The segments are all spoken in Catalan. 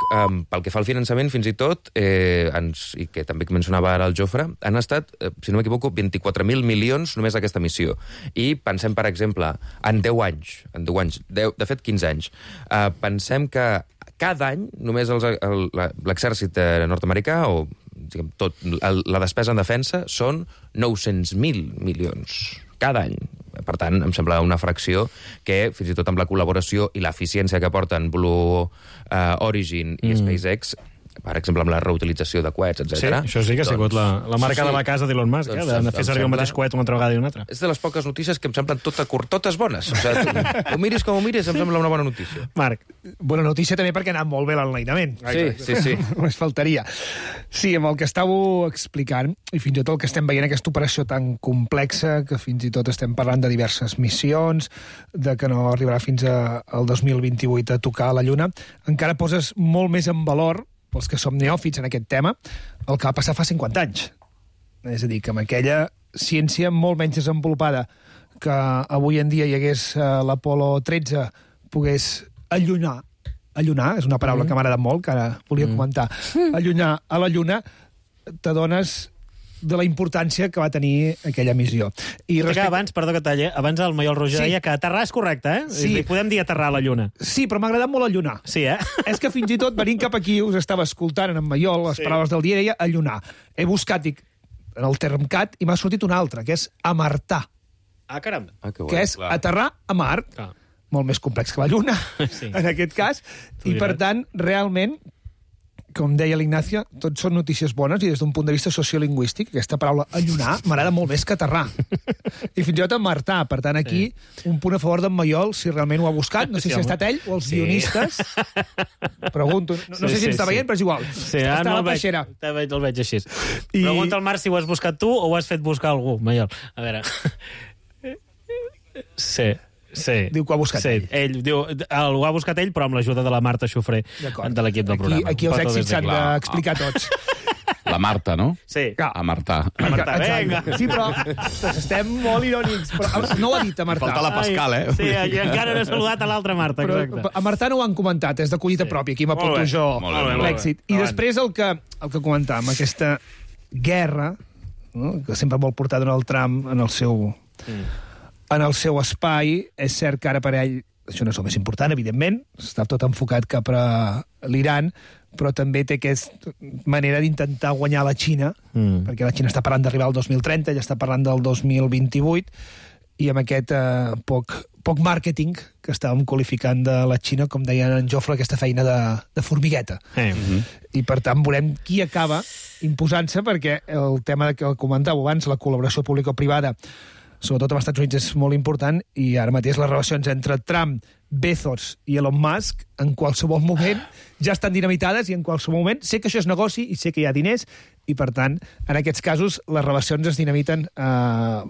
pel que fa al finançament, fins i tot, i que també mencionava ara el Jofre, han estat, si no m'equivoco, 24.000 milions només aquesta missió. I pensem, per exemple, en 10 anys, de fet 15 anys, pensem que cada any només l'exèrcit nord-americà, o diguem, la despesa en defensa, són 900.000 milions cada any. Per tant, em sembla una fracció que, fins i tot amb la col·laboració i l'eficiència que aporten Blue Origin i SpaceX, per exemple, amb la reutilització de coets, etc. Sí, això sí que ha sigut la marca de la casa d'Elon Musk, de fer servir el mateix coet una altra vegada i una altra. És de les poques notícies que em semblen totes bones. O sigui, ho miris com ho miris, em sembla una bona notícia. Marc. Bona notícia també perquè ha anat molt bé l'enlairament. Sí. Només faltaria. Sí, amb el que estàveu explicant, i fins i tot el que estem veient, aquesta operació tan complexa, que fins i tot estem parlant de diverses missions, de que no arribarà fins al 2028 a tocar la Lluna, encara poses molt més en valor, pels que som neòfits en aquest tema, el que va passar fa 50 anys. És a dir, que amb aquella ciència molt menys desenvolupada que avui en dia hi hagués l'Apolo 13 pogués allunyar, és una paraula que m'ha agradat molt, que ara volia comentar, allunyar a la Lluna, t'adones de la importància que va tenir aquella missió. Abans, perdó que talli, abans el Maiol Roger deia que aterrar és correcte, eh? Sí. Podem dir aterrar a la Lluna. Sí, però m'ha agradat molt allunar. Sí, eh? És que fins i tot, venint cap aquí, us estava escoltant en Maiol, les paraules del dia, deia allunar. He buscat en el Termcat i m'ha sortit un altre, que és amartar. Ah, caram. Que és aterrar a Mart. Clar. Molt més complex que la Lluna, en aquest cas. I, per tant, realment, com deia l'Ignacio, tot són notícies bones i des d'un punt de vista sociolingüístic, aquesta paraula allunar m'agrada molt més que aterrar. I fins i tot amartar. Per tant, aquí, un punt a favor d'en Maiol, si realment ho ha buscat. No sé si ha estat ell o els guionistes. Pregunto. No sé si ens està veient, però és igual. Sí, està a la peixera. El veig així. Pregunta al Marc si ho has buscat tu o ho has fet buscar algú, Maiol. A veure... Sí. Diu que ho ha buscat ell. Ell diu, ho ha buscat ell, però amb l'ajuda de la Marta Xofré, de l'equip del programa. Aquí els èxits s'han d'explicar tots. La Marta, no? Sí. A Marta. Vinga. Sí, però estem molt irònics. Però no ho ha dit a Marta. Falta la Pascal, eh? Sí, i encara no he saludat a l'altra Marta, exacte. Però a Marta no ho han comentat, és de collita pròpia. Aquí m'apunto jo l'èxit. I després el que comentàvem, aquesta guerra, no? Que sempre vol portar Donald Trump en el seu espai. És cert que ara per ell, això no és el més important, evidentment, està tot enfocat cap a l'Iran, però també té aquesta manera d'intentar guanyar la Xina, perquè la Xina està parlant d'arribar al 2030, ja està parlant del 2028, i amb aquest poc màrqueting que estàvem qualificant de la Xina, com deia en Jofre, aquesta feina de formigueta. I per tant veurem qui acaba imposant-se, perquè el tema que comentàveu abans, la col·laboració público-privada, sobretot als Estats Units, és molt important, i ara mateix les relacions entre Trump, Bezos i Elon Musk en qualsevol moment ja estan dinamitades, i en qualsevol moment sé que això és negoci i sé que hi ha diners, i per tant, en aquests casos les relacions es dinamiten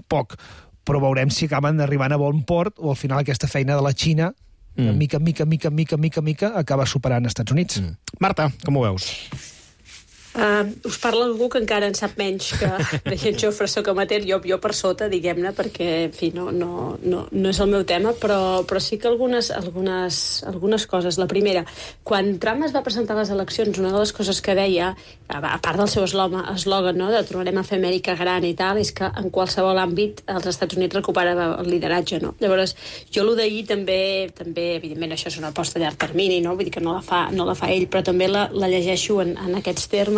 poc, però veurem si acaben arribant a bon port o al final aquesta feina de la Xina mica en mica acaba superant els Estats Units. Marta, com ho veus? Us parla algú que encara en sap menys que en Jofre soc amateur, jo per sota, diguem-ne, perquè, en fi, no és el meu tema, però sí que algunes coses. La primera, quan Trump es va presentar a les eleccions, una de les coses que deia, a part del seu eslògan, no?, de tornarem a fer Amèrica gran i tal, és que en qualsevol àmbit els Estats Units recuperava el lideratge, no? Llavors, jo allò d'ahir també, evidentment, això és una aposta a llarg termini, no? Vull dir que no la fa ell, però també la llegeixo en aquests termes,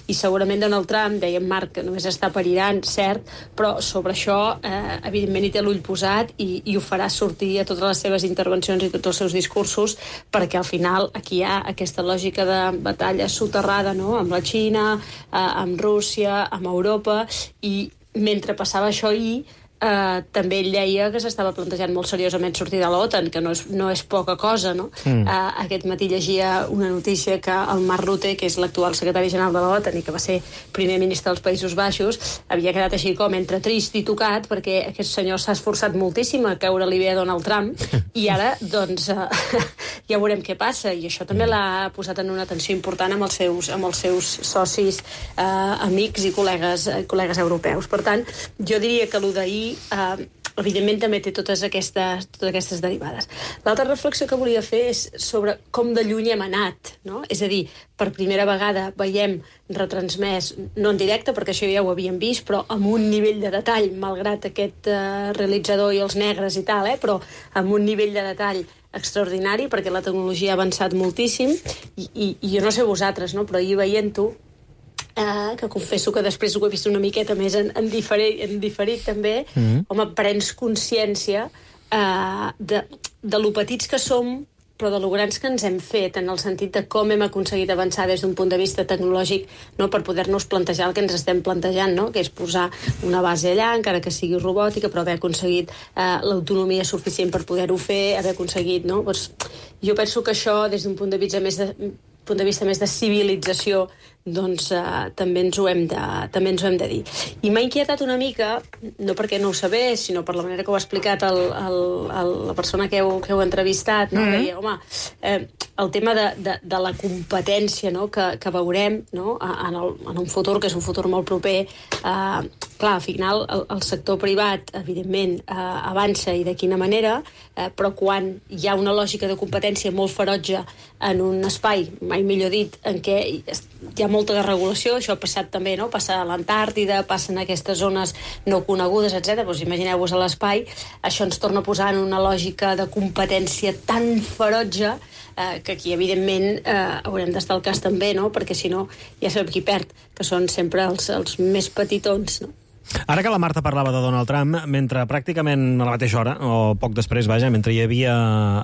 i segurament Donald Trump, deia en Marc, que només està per Iran, cert, però sobre això evidentment hi té l'ull posat i ho farà sortir a totes les seves intervencions i tots els seus discursos, perquè al final aquí hi ha aquesta lògica de batalla soterrada, no?, amb la Xina, amb Rússia, amb Europa, i mentre passava això ahir, també ell deia que s'estava plantejant molt seriosament sortir de l'OTAN, que no és poca cosa, no? Aquest matí llegia una notícia que el Mark Rutte, que és l'actual secretari general de l'OTAN i que va ser primer ministre dels Països Baixos, havia quedat així com entre trist i tocat, perquè aquest senyor s'ha esforçat moltíssim a caure-li bé a Donald Trump, i ara, doncs, ja veurem què passa, i això també l'ha posat en una tensió important amb els seus socis, amics i col·legues europeus. Per tant, jo diria que allò d'ahir evidentment també té totes aquestes derivades. L'altra reflexió que volia fer és sobre com de lluny hem anat, no? És a dir, per primera vegada veiem retransmès, no en directe, perquè això ja ho havíem vist, però amb un nivell de detall, malgrat aquest realitzador i els negres i tal, però amb un nivell de detall extraordinari, perquè la tecnologia ha avançat moltíssim, i jo no sé vosaltres, no? Però ahir veient-ho, que confesso que després ho he vist una miqueta més en diferit també, home, prens consciència de lo petits que som, però de lo grans que ens hem fet, en el sentit de com hem aconseguit avançar des d'un punt de vista tecnològic, no, per poder-nos plantejar el que ens estem plantejant, no? Que és posar una base allà, encara que sigui robòtica, però haver aconseguit l'autonomia suficient per poder-ho fer, haver aconseguit, no? Doncs, jo penso que això, des d'un punt de vista més de civilització, doncs també ens ho hem de dir. I m'ha inquietat una mica, no perquè no ho sabés, sinó per la manera que ho ha explicat la persona que heu entrevistat, no? Deia, home, el tema de la competència, no? que veurem, no? en un futur, que és un futur molt proper. Clar, al final el sector privat, evidentment, avança, i de quina manera, però quan hi ha una lògica de competència molt ferotge en un espai, mai millor dit, en què hi ha molta desregulació, això ha passat també, no? Passa a l'Antàrtida, passa en aquestes zones no conegudes, etc. Doncs imagineu-vos a l'espai, això ens torna a posar en una lògica de competència tan ferotge que aquí, evidentment, haurem d'estar al cas també, no? Perquè si no, ja sabem qui perd, que són sempre els més petitons, no? Ara que la Marta parlava de Donald Trump, mentre pràcticament a la mateixa hora, o poc després, vaja, mentre hi havia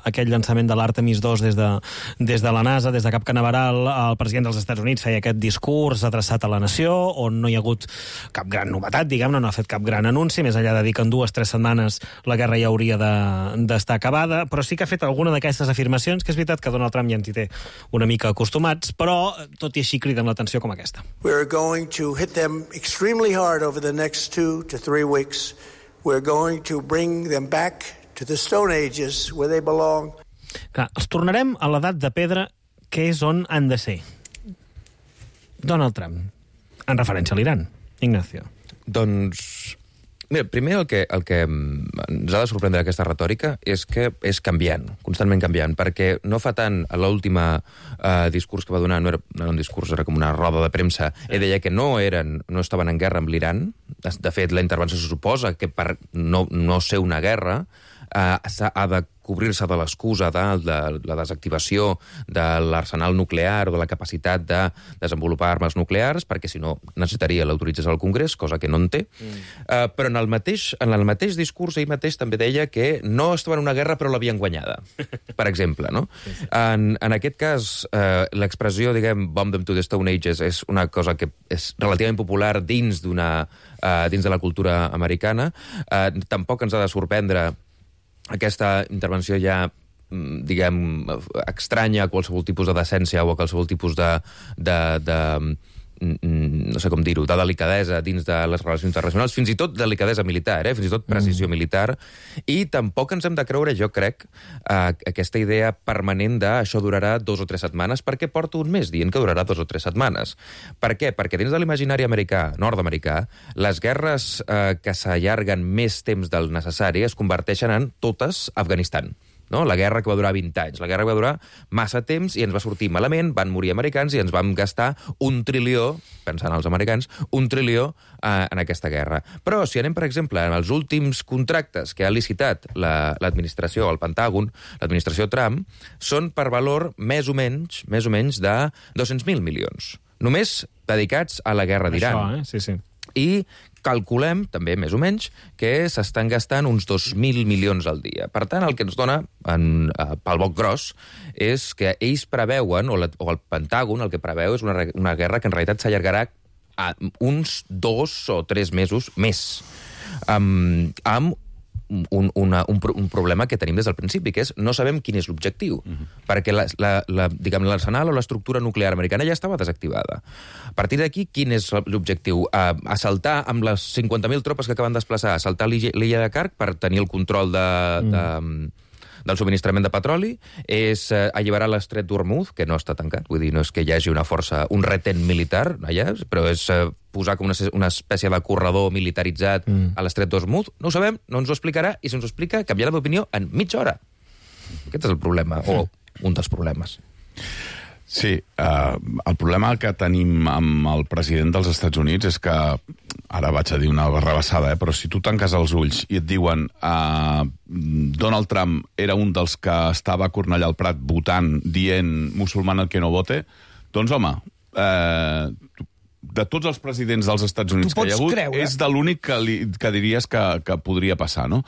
aquell llançament de l'Artemis II des de la NASA, des de Cap Canaveral, el president dels Estats Units feia aquest discurs adreçat a la nació, on no hi ha hagut cap gran novetat, diguem-ne, no ha fet cap gran anunci, més enllà de dir que en 2-3 setmanes la guerra ja hauria d'estar acabada, però sí que ha fet alguna d'aquestes afirmacions, que és veritat que Donald Trump ja ens hi té una mica acostumats, però tot i així criden l'atenció com aquesta. We're going to hit them extremely hard over the next 2 to 3 weeks. We're going to bring them back to the Stone Ages, where they belong. Clar, els tornarem a l'edat de pedra, que és on han de ser. Donald Trump, en referència a l'Iran. Ignacio. Doncs, mira, primer el que ens ha de sorprendre aquesta retòrica és que és canviant, constantment canviant, perquè no fa tant a l'última discurs que va donar, no era un discurs, era com una roda de premsa, deia que no estaven en guerra amb l'Iran. De fet, la intervenció se suposa que per no ser una guerra ha de cobrir-se de l'excusa de la desactivació de l'arsenal nuclear o de la capacitat de desenvolupar armes nuclears, perquè si no necessitaria l'autorització del Congrés, cosa que no en té. Però en el mateix discurs ell mateix també deia que no estava en una guerra però l'havien guanyada, per exemple, no? En aquest cas, l'expressió, diguem, bomb them to the Stone Ages és una cosa que és relativament popular dins de la cultura americana. Tampoc ens ha de sorprendre aquesta intervenció ja, diguem, estranya a qualsevol tipus de decència o a qualsevol tipus no sé com dir-ho, de delicadesa dins de les relacions internacionals, fins i tot delicadesa militar, fins i tot precisió militar, i tampoc ens hem de creure, jo crec, aquesta idea permanent de això durarà 2 o 3 setmanes, perquè porto un mes dient que durarà 2 o 3 setmanes. Per què? Perquè dins de l'imaginari nord-americà, les guerres que s'allarguen més temps del necessari es converteixen en totes Afganistan. No? La guerra que va durar 20 anys. La guerra que va durar massa temps i ens va sortir malament, van morir americans i ens vam gastar 1 trilió, pensant als americans, 1 trilió en aquesta guerra. Però si anem, per exemple, en els últims contractes que ha licitat l'administració, el Pentàgon, l'administració Trump, són per valor més o menys de 200.000 milions. Només dedicats a la guerra d'Iran. Això, sí. I calculem, també més o menys, que s'estan gastant uns 2.000 milions al dia. Per tant, el que ens dona, pel boc gros, és que ells preveuen, o el Pentàgon el que preveu és una guerra que en realitat s'allargarà a uns 2 o 3 mesos més. Amb un problema que tenim des del principi, que és no sabem quin és l'objectiu, perquè l'arsenal o l'estructura nuclear americana ja estava desactivada. A partir d'aquí, quin és l'objectiu? Assaltar amb les 50.000 tropes que acaben de desplaçar, assaltar l'illa de Kark per tenir el control del subministrament de petroli, és alliberar l'estret d'Hormuz, que no està tancat, vull dir, no és que hi hagi una força, un retén militar allà, però és posar com una espècie de corredor militaritzat a l'estret d'Hormuz? No ho sabem, no ens ho explicarà, i si ens ho explica, canviarà d'opinió en mitja hora. Aquest és el problema, o un dels problemes. Sí, el problema que tenim amb el president dels Estats Units és que, ara vaig a dir una rebassada, però si tu tanques els ulls i et diuen Donald Trump era un dels que estava a Cornellà al Prat votant, dient musulmán el que no vote, doncs home, de tots els presidents dels Estats Units que hi ha hagut, és de l'únic que diries que podria passar, no?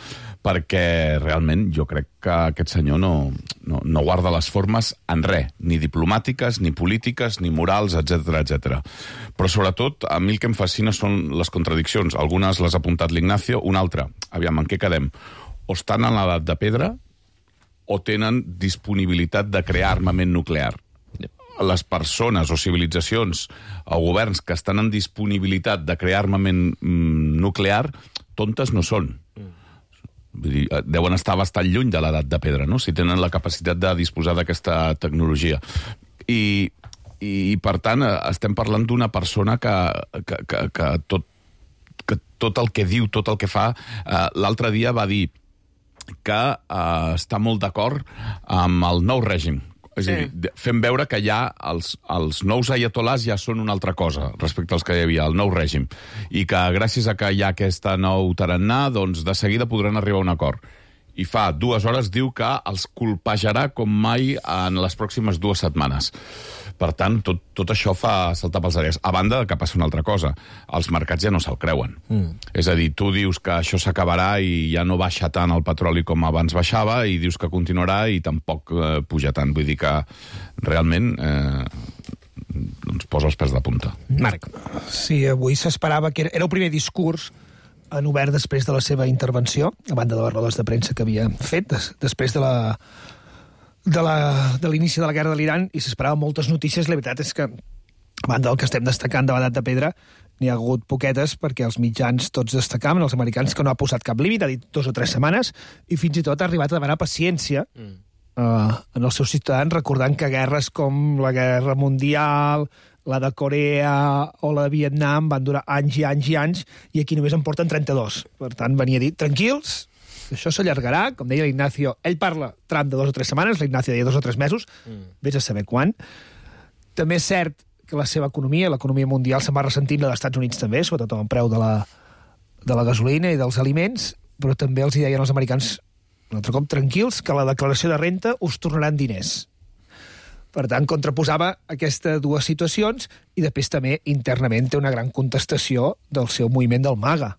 Perquè realment jo crec que aquest senyor no guarda les formes en res, ni diplomàtiques, ni polítiques, ni morals, etc. Però sobretot, a mi el que em fascina són les contradiccions. Algunes les ha apuntat l'Ignacio, una altra, aviam, en què quedem? O estan en l'edat de pedra o tenen disponibilitat de crear armament nuclear. Les persones o civilitzacions o governs que estan en disponibilitat de crear armament nuclear, tontes no són. Vull dir, deuen estar bastant lluny de l'edat de pedra, no? Si tenen la capacitat de disposar d'aquesta tecnologia. I per tant, estem parlant d'una persona que tot el que diu, tot el que fa... L'altre dia va dir que està molt d'acord amb el nou règim. És a dir, fem veure que ja els nous ayatolars ja són una altra cosa respecte als que hi havia, el nou règim. I que gràcies a que hi ha aquesta nou tarannà, doncs de seguida podran arribar a un acord. I fa 2 hores diu que els colpejarà com mai en les pròximes 2 setmanes. Per tant, tot això fa saltar pels aires. A banda que passa una altra cosa. Els mercats ja no se'l creuen. És a dir, tu dius que això s'acabarà i ja no baixa tant el petroli com abans baixava i dius que continuarà i tampoc puja tant. Vull dir que realment doncs posa els pèls de punta. Marc. Sí, avui s'esperava que era el primer discurs en obert després de la seva intervenció, a banda de les rodes de premsa que havia fet, després de l'inici de la guerra de l'Iran, i s'esperaven moltes notícies. La veritat és que, a banda del que estem destacant de l'edat de pedra, n'hi ha hagut poquetes, perquè els mitjans tots destacaven, els americans, que no ha posat cap límit, ha dit 2 o 3 setmanes, i fins i tot ha arribat a demanar paciència en els seus ciutadans, recordant que guerres com la Guerra Mundial, la de Corea o la de Vietnam van durar anys i anys i anys, i aquí només en porten 32. Per tant, venia a dir, tranquils, això s'allargarà, com deia l'Ignacio, ell parla tram de 2 o 3 setmanes, l'Ignacio deia 2 o 3 mesos, vés a saber quan. També és cert que la seva economia, l'economia mundial, se'n va ressentint, la dels Estats Units també, sobretot amb el preu de la gasolina i dels aliments, però també els deien als americans, un altre cop, tranquils, que la declaració de renta us tornaran diners. Per tant, contraposava aquestes 2 situacions i després també internament té una gran contestació del seu moviment del MAGA.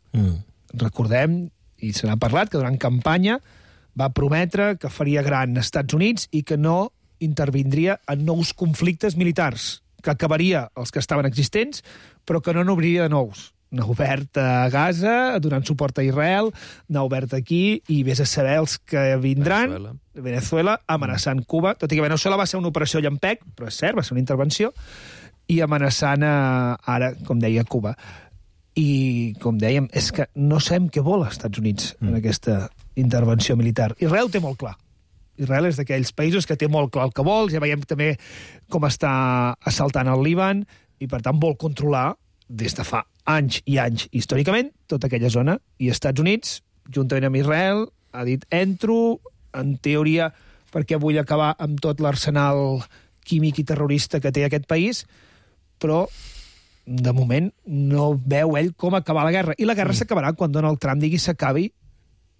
Recordem, i se n'ha parlat, que durant campanya va prometre que faria gran als Estats Units i que no intervindria en nous conflictes militars, que acabaria els que estaven existents, però que no n'obriria de nous. N'ha obert a Gaza, donant suport a Israel, n'ha obert aquí, i vés a saber els que vindran... Venezuela, amenaçant Cuba, tot i que Venezuela va ser una operació llampec, però és cert, va ser una intervenció, i amenaçant ara, com deia, Cuba. I, com dèiem, és que no sabem què vol els Estats Units en aquesta intervenció militar. Israel té molt clar. Israel és d'aquells països que té molt clar el que vol, ja veiem també com està assaltant el Líban, i per tant vol controlar, des de fa anys i anys, històricament, tota aquella zona, i Estats Units, juntament amb Israel, ha dit, entro, en teoria, perquè vull acabar amb tot l'arsenal químic i terrorista que té aquest país, però, de moment, no veu ell com acabar la guerra. I la guerra s'acabarà quan Donald Trump digui s'acabi,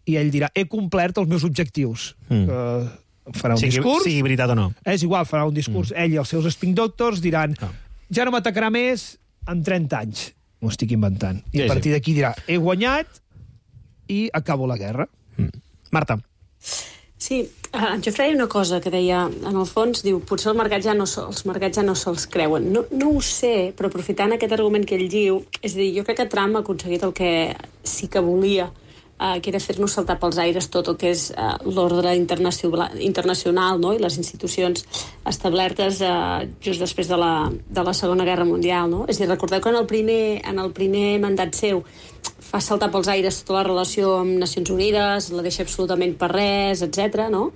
i ell dirà, he complert els meus objectius. Farà un discurs... Sigui veritat o no. És igual, farà un discurs. Ell i els seus spin doctors diran, ja no m'atacarà més en 30 anys. M'ho estic inventant. I a partir d'aquí dirà, he guanyat i acabo la guerra. Marta. Sí, en Jofre una cosa que deia, en el fons, diu, potser els mercats ja no se'ls creuen. No ho sé, però aprofitant aquest argument que ell diu, és a dir, jo crec que Trump ha aconseguit el que sí que volia, que era fer-nos saltar pels aires tot el que és l'ordre internacional, no? I les institucions establertes just després de la Segona Guerra Mundial. No? És a dir, recordeu que en el primer mandat seu fa saltar pels aires tota la relació amb Nacions Unides, la deixa absolutament per res, etc. No?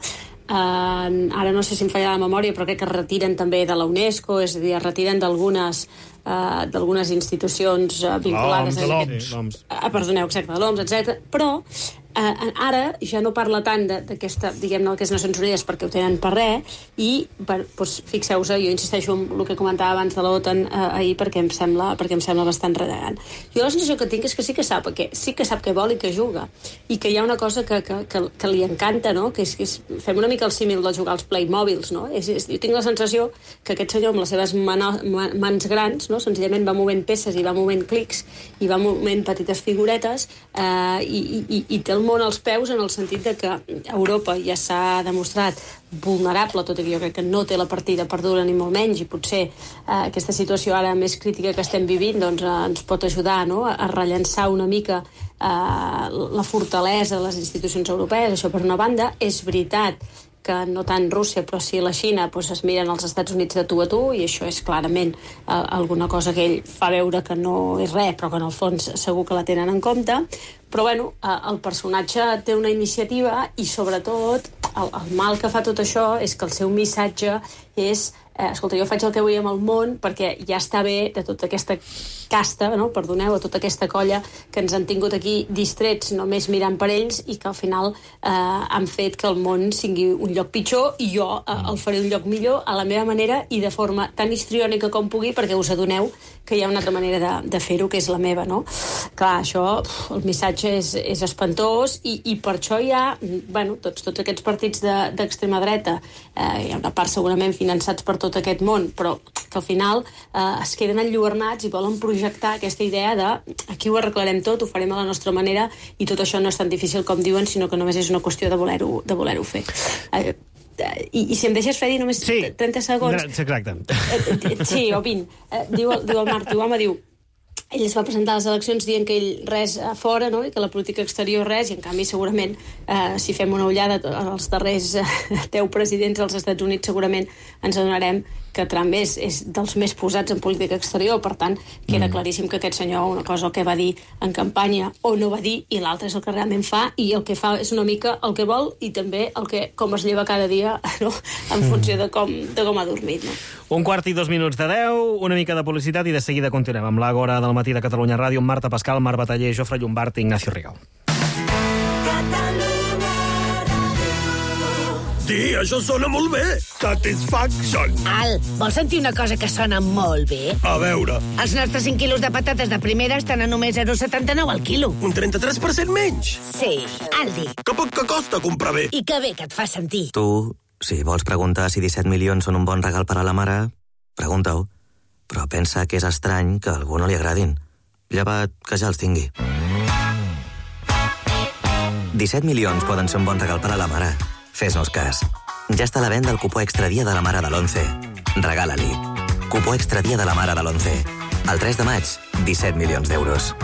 Ara no sé si em falla la memòria, però crec que es retiren també de la UNESCO, és a dir, es retiren d'algunes d'algunes institucions vinculades a l'OMS. Perdoneu, exacte, de l'OMS, etc. Però ara ja no parla tant d'aquesta, diguem-ne, que és Nacions Unides perquè ho tenen per res, i doncs, fixeu-vos, jo insisteixo en el que comentava abans de l'OTAN ahir perquè em sembla bastant redegant. Jo la sensació que tinc és que sí que sap què vol i que juga, i que hi ha una cosa que li encanta, no? Que és fem una mica el símil de jugar als Playmobils, no? Jo tinc la sensació que aquest senyor amb les seves mans grans, no? Senzillament va movent peces i va movent clics i va movent petites figuretes i té el món als peus, en el sentit de que Europa ja s'ha demostrat vulnerable, tot i que jo crec que no té la partida perduda ni molt menys, i potser aquesta situació ara més crítica que estem vivint doncs, ens pot ajudar, no? A rellançar una mica la fortalesa de les institucions europees. Això per una banda. És veritat que no tant Rússia, però sí la Xina, doncs es miren als Estats Units de tu a tu, i això és clarament alguna cosa que ell fa veure que no és res, però que en el fons segur que la tenen en compte. Però bueno, el personatge té una iniciativa i sobretot el mal que fa tot això és que el seu missatge és escolta, jo faig el que vull amb el món perquè ja està bé de tota aquesta casta, no? Perdoneu, de tota aquesta colla que ens han tingut aquí distrets només mirant per ells i que al final han fet que el món sigui un lloc pitjor i jo el faré un lloc millor a la meva manera i de forma tan histriònica com pugui, perquè us adoneu que hi ha una altra manera de fer-ho, que és la meva, no? Clar, això, el missatge és espantós i per això hi ha, bueno, tots aquests partits d'extrema dreta, hi ha una part segurament finançats per tot aquest món, però que al final es queden enlluernats i volen projectar aquesta idea de aquí ho arreglarem tot, ho farem a la nostra manera i tot això no és tan difícil com diuen, sinó que només és una qüestió de voler-ho fer. I si em deixes, Freddy, només 30 segons... Sí, exacte. Sí, o 20. Diu el Marc, ell es va presentar a les eleccions dient que ell res a fora, no? I que la política exterior res, i en canvi segurament si fem una ullada als darrers 10 presidents dels Estats Units segurament ens adonarem que Trump és dels més posats en política exterior, per tant queda claríssim que aquest senyor una cosa el que va dir en campanya o no va dir i l'altra és el que realment fa, i el que fa és una mica el que vol i també com es lleva cada dia, no? En funció de com ha dormit, no? 1:02 de 10, una mica de publicitat i de seguida continuem amb l'Àgora del matí de Catalunya Ràdio, amb Marta Pascal, Marc Bataller, Jofre Llombart i Ignacio Rigau. Sí, això sona molt bé. Satisfaction. Al, vols sentir una cosa que sona molt bé? A veure. Els nostres 5 quilos de patates de primera estan a només 0,79 al quilo. Un 33% menys? Sí, Aldi. Que poc que costa comprar bé. I que bé que et fa sentir. Tu, si vols preguntar si 17 milions són un bon regal per a la mare, pregunta-ho. Però pensa que és estrany que a algú no li agradin. Llevat que ja els tingui. 17 milions poden ser un bon regal per a la mare. Fes-nos cas. Ja està a la venda el cupó extra dia de la mare de l'11. Regala-li. Cupó extra dia de la mare de l'11. El 3 de maig, 17 milions d'euros.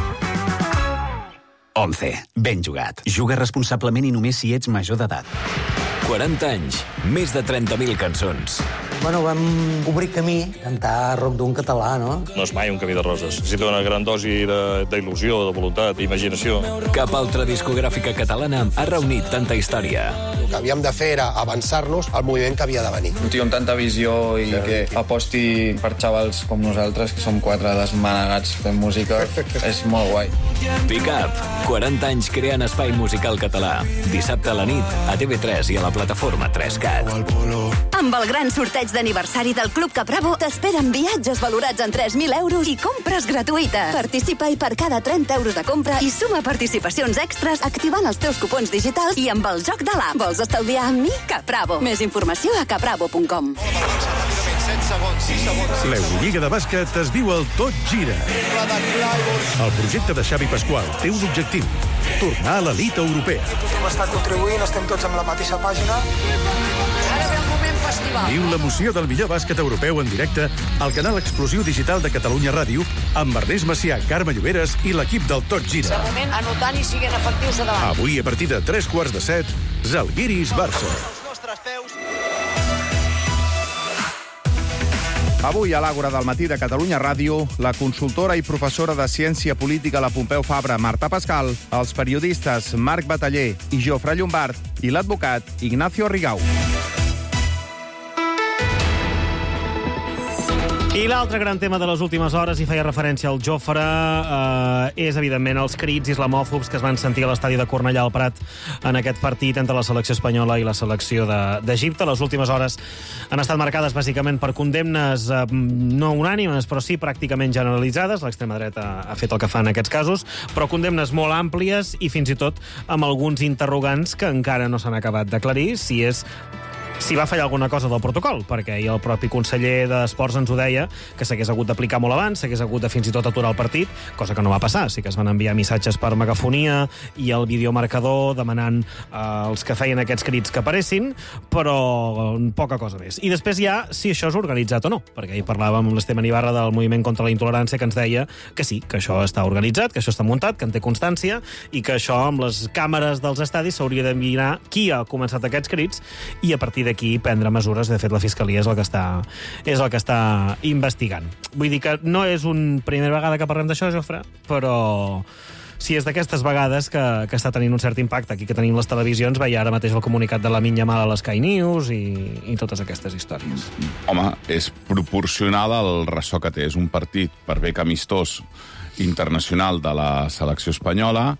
11. Ben jugat. Juga responsablement i només si ets major d'edat. 40 anys, més de 30.000 cançons. Bueno, vam obrir camí, cantar rock d'un català, no? No és mai un camí de roses. Necessita una gran dosi d'il·lusió, de voluntat, d'imaginació. Cap altra discogràfica catalana ha reunit tanta història. El que havíem de fer era avançar-nos al moviment que havia de venir. Un tio amb tanta visió i que aposti per xavals com nosaltres, que som 4 desmanegats fent música, és molt guai. Pick Up, 40 anys creant espai musical català. Dissabte a la nit, a TV3 i a la plataforma 3Cat. Amb el gran sorteig d'aniversari del Club Capravo t'esperen viatges valorats en 3.000 euros i compres gratuïtes. Participa-hi per cada 30 euros de compra i suma participacions extras activant els teus cupons digitals i amb el joc de l'app. Vols estalviar amb mi? Capravo. Més informació a capravo.com. L'Eurolliga de bàsquet es diu el Tot Gira. El projecte de Xavi Pasqual té un objectiu: tornar a l'elit europea. Tothom està contribuint, estem tots amb la mateixa pàgina. Ara ve el moment festival. Viu l'emoció del millor bàsquet europeu en directe al canal exclusiu digital de Catalunya Ràdio amb Ernest Macià, Carme Lloberes i l'equip del Tot Gira. De moment, anotant i siguent efectius a davant. Avui, a partir de 3:15, Zalgiris-Barça. Avui, a l'Àgora del matí de Catalunya Ràdio, la consultora i professora de Ciència Política a la Pompeu Fabra, Marta Pascal, els periodistes Marc Bataller i Jofre Llombart i l'advocat Ignacio Rigau. I l'altre gran tema de les últimes hores, i feia referència al Jofre, és, evidentment, els crits islamòfobs que es van sentir a l'estadi de Cornellà al Prat en aquest partit entre la selecció espanyola i la selecció d'Egipte. Les últimes hores han estat marcades, bàsicament, per condemnes no unànimes, però sí pràcticament generalitzades. L'extrema dreta ha fet el que fa en aquests casos, però condemnes molt àmplies i, fins i tot, amb alguns interrogants que encara no s'han acabat d'aclarir si va fallar alguna cosa del protocol, perquè el propi conseller d'Esports ens ho deia, que s'hagués hagut d'aplicar molt abans, s'hagués hagut de fins i tot aturar el partit, cosa que no va passar. Sí que es van enviar missatges per megafonia i el videomarcador demanant als que feien aquests crits que aparessin, però poca cosa més. I després ja, si això és organitzat o no, perquè ahir parlàvem amb l'Esteban Ibarra del Moviment contra la Intolerància, que ens deia que sí, que això està organitzat, que això està muntat, que en té constància, i que això, amb les càmeres dels estadis, s'hauria de mirar qui ha començat aquests crits i a partir d'aquí prendre mesures. De fet, la Fiscalia és el que està investigant. Vull dir que no és una primera vegada que parlem d'això, Jofre, però si és d'aquestes vegades que està tenint un cert impacte. Aquí que tenim les televisions, veia ara mateix el comunicat de Lamine Yamal a l'Sky News i totes aquestes històries. Home, és proporcional al ressò que té. És un partit, per bé que amistós, internacional de la selecció espanyola,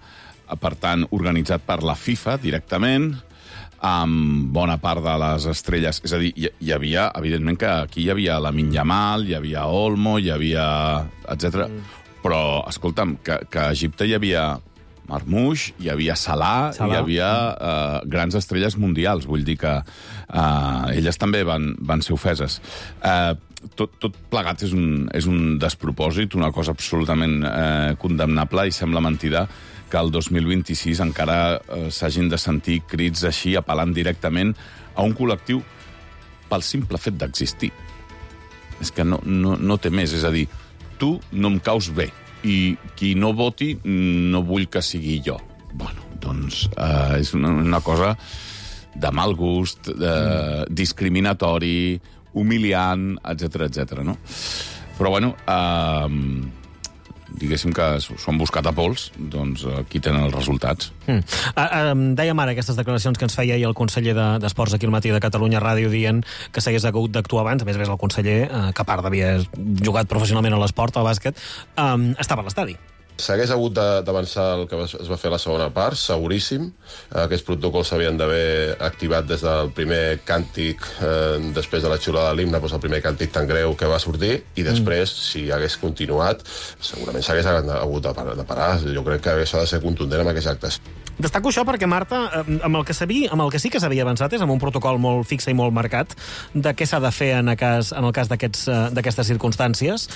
per tant, organitzat per la FIFA directament, amb bona part de les estrelles. És a dir, hi havia, evidentment, que aquí hi havia Lamine Yamal, hi havia Olmo, hi havia etc. Però, escolta'm, que a Egipte hi havia Marmoush, hi havia Salah. Hi havia grans estrelles mundials. Vull dir que elles també van ser ofeses. Tot plegat és un despropòsit, una cosa absolutament condemnable, i sembla mentida que el 2026 encara s'hagin de sentir crits així, apel·lant directament a un col·lectiu pel simple fet d'existir. És que no té més. És a dir, tu no em caus bé, i qui no voti no vull que sigui jo. Bueno, doncs és una cosa de mal gust, discriminatori, humiliant, etc., no? Però, bueno, diguéssim que s'ho han buscat a pols, doncs aquí tenen els resultats. Dèiem ara aquestes declaracions que ens feia ahir el conseller d'Esports aquí al matí de Catalunya Ràdio, dient que s'hagués hagut d'actuar abans. A més el conseller, que a part d'haver jugat professionalment a l'esport, al bàsquet, estava a l'estadi. S'hagués hagut d'avançar el que es va fer a la segona part, seguríssim. Aquests protocols s'havien d'haver activat des del primer càntic, després de la xiulada de l'himne, el primer càntic tan greu que va sortir, i després, si hagués continuat, segurament s'hagués hagut de parar. Jo crec que això ha de ser contundent amb aquests actes. Destaco això perquè, Marta, amb el que sí que s'havia avançat és amb un protocol molt fixe i molt marcat de què s'ha de fer en el cas d'aquestes circumstàncies,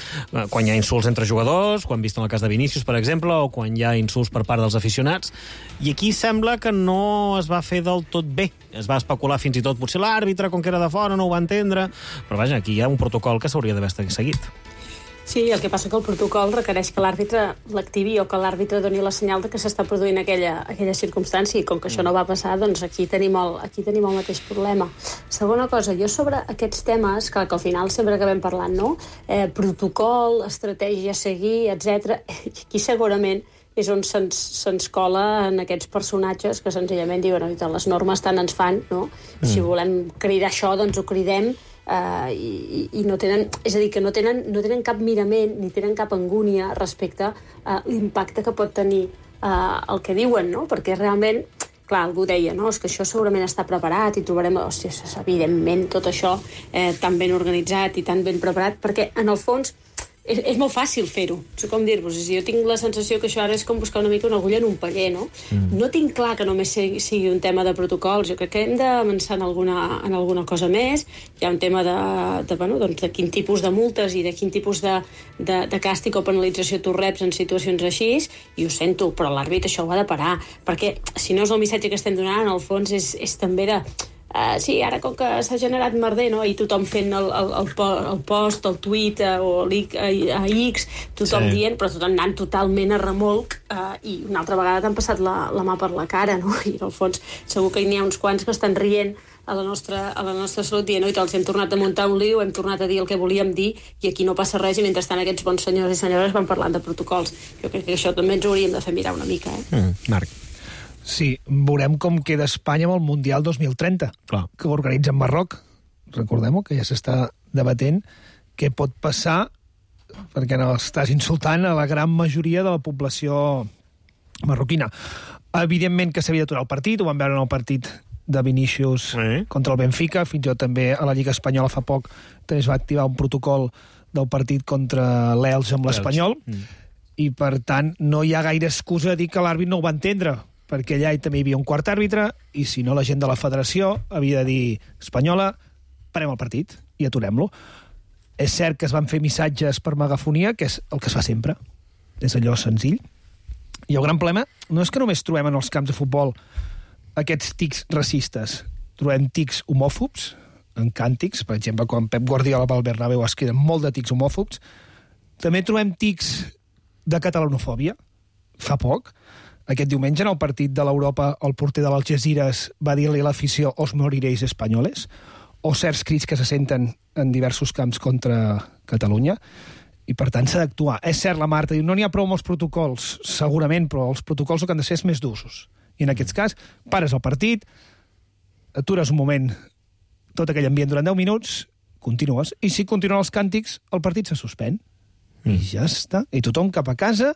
quan hi ha insults entre jugadors, quan vist en el cas de Vinícius, per exemple, o quan hi ha insults per part dels aficionats. I aquí sembla que no es va fer del tot bé. Es va especular fins i tot, potser l'àrbitre, com que era de fora, no ho va entendre. Però vaja, aquí hi ha un protocol que s'hauria d'haver seguit. Sí, el que passa que el protocol requereix que l'àrbitre l'activi o que l'àrbitre doni la senyal de que s'està produint aquella circumstància, i com que això no va passar, doncs aquí tenim el mateix problema. Segona cosa, jo sobre aquests temes, que al final sempre acabem parlant, no? Protocol, estratègia a seguir, etc. Aquí segurament és on se'ns cola en aquests personatges que senzillament diuen les normes tant ens fan, no? Si volem cridar això, doncs ho cridem, i no tenen, és a dir, que no tenen cap mirament ni tenen cap angúnia respecte a l'impacte que pot tenir el que diuen, no? Perquè realment, clar, algú deia, no, és que això segurament està preparat i trobarem, evidentment, tot això tan ben organitzat i tan ben preparat, perquè en el fons és molt fàcil fer-ho. No sé com dir-vos. Jo tinc la sensació que això ara és com buscar una mica una agulla en un paller, no? No tinc clar que només sigui un tema de protocols. Jo crec que hem d'avançar en alguna cosa més. Hi ha un tema de quin tipus de multes i de quin tipus de càstig o penalització tu reps en situacions així, i ho sento, però l'àrbitre això ho ha de parar, perquè si no és el missatge que estem donant, en el fons és també de... sí, ara com que s'ha generat merder, no? I tothom fent el post, el tuit o a X, tothom dient, però tothom anant totalment a remolc, i una altra vegada t'han passat la mà per la cara, no? I en el fons segur que n'hi ha uns quants que estan rient a la nostra salut, dient, oi, els hem tornat a muntar un lío, hem tornat a dir el que volíem dir, i aquí no passa res, i mentrestant aquests bons senyors i senyores van parlant de protocols. Jo crec que això també ens hauríem de fer mirar una mica, Marc. Sí, veurem com queda Espanya amb el Mundial 2030, que ho organitza en Marroc. Recordem-ho, que ja s'està debatent què pot passar, perquè no estàs insultant a la gran majoria de la població marroquina. Evidentment que s'havia d'aturar el partit, ho vam veure en el partit de Vinícius contra el Benfica, fins i tot també a la Lliga Espanyola fa poc també es va activar un protocol del partit contra l'Elx amb l'Espanyol, i per tant no hi ha gaire excusa de dir que l'àrbit no ho va entendre, perquè allà també hi havia un quart àrbitre, i si no la gent de la federació havia de dir Espanyola, parem el partit i aturem-lo. És cert que es van fer missatges per megafonia, que és el que es fa sempre, és allò senzill. I el gran problema no és que només trobem en els camps de futbol aquests tics racistes, trobem tics homòfobs, en càntics, per exemple, quan Pep Guardiola va al Bernabéu es queden molt de tics homòfobs, també trobem tics de catalanofòbia, fa poc. Aquest diumenge, en el partit de l'Europa, el porter de l'Algeciras va dir-li a l'afició «Os moriréis españoles», o certs crits que se senten en diversos camps contra Catalunya, i per tant s'ha d'actuar. És cert, la Marta diu, no n'hi ha prou amb els protocols, segurament, però els protocols el que han de ser és més d'usos. I en aquest cas, pares el partit, atures un moment tot aquell ambient durant 10 minuts, continues, i si continuen els càntics, el partit se suspèn. I ja està. I tothom cap a casa,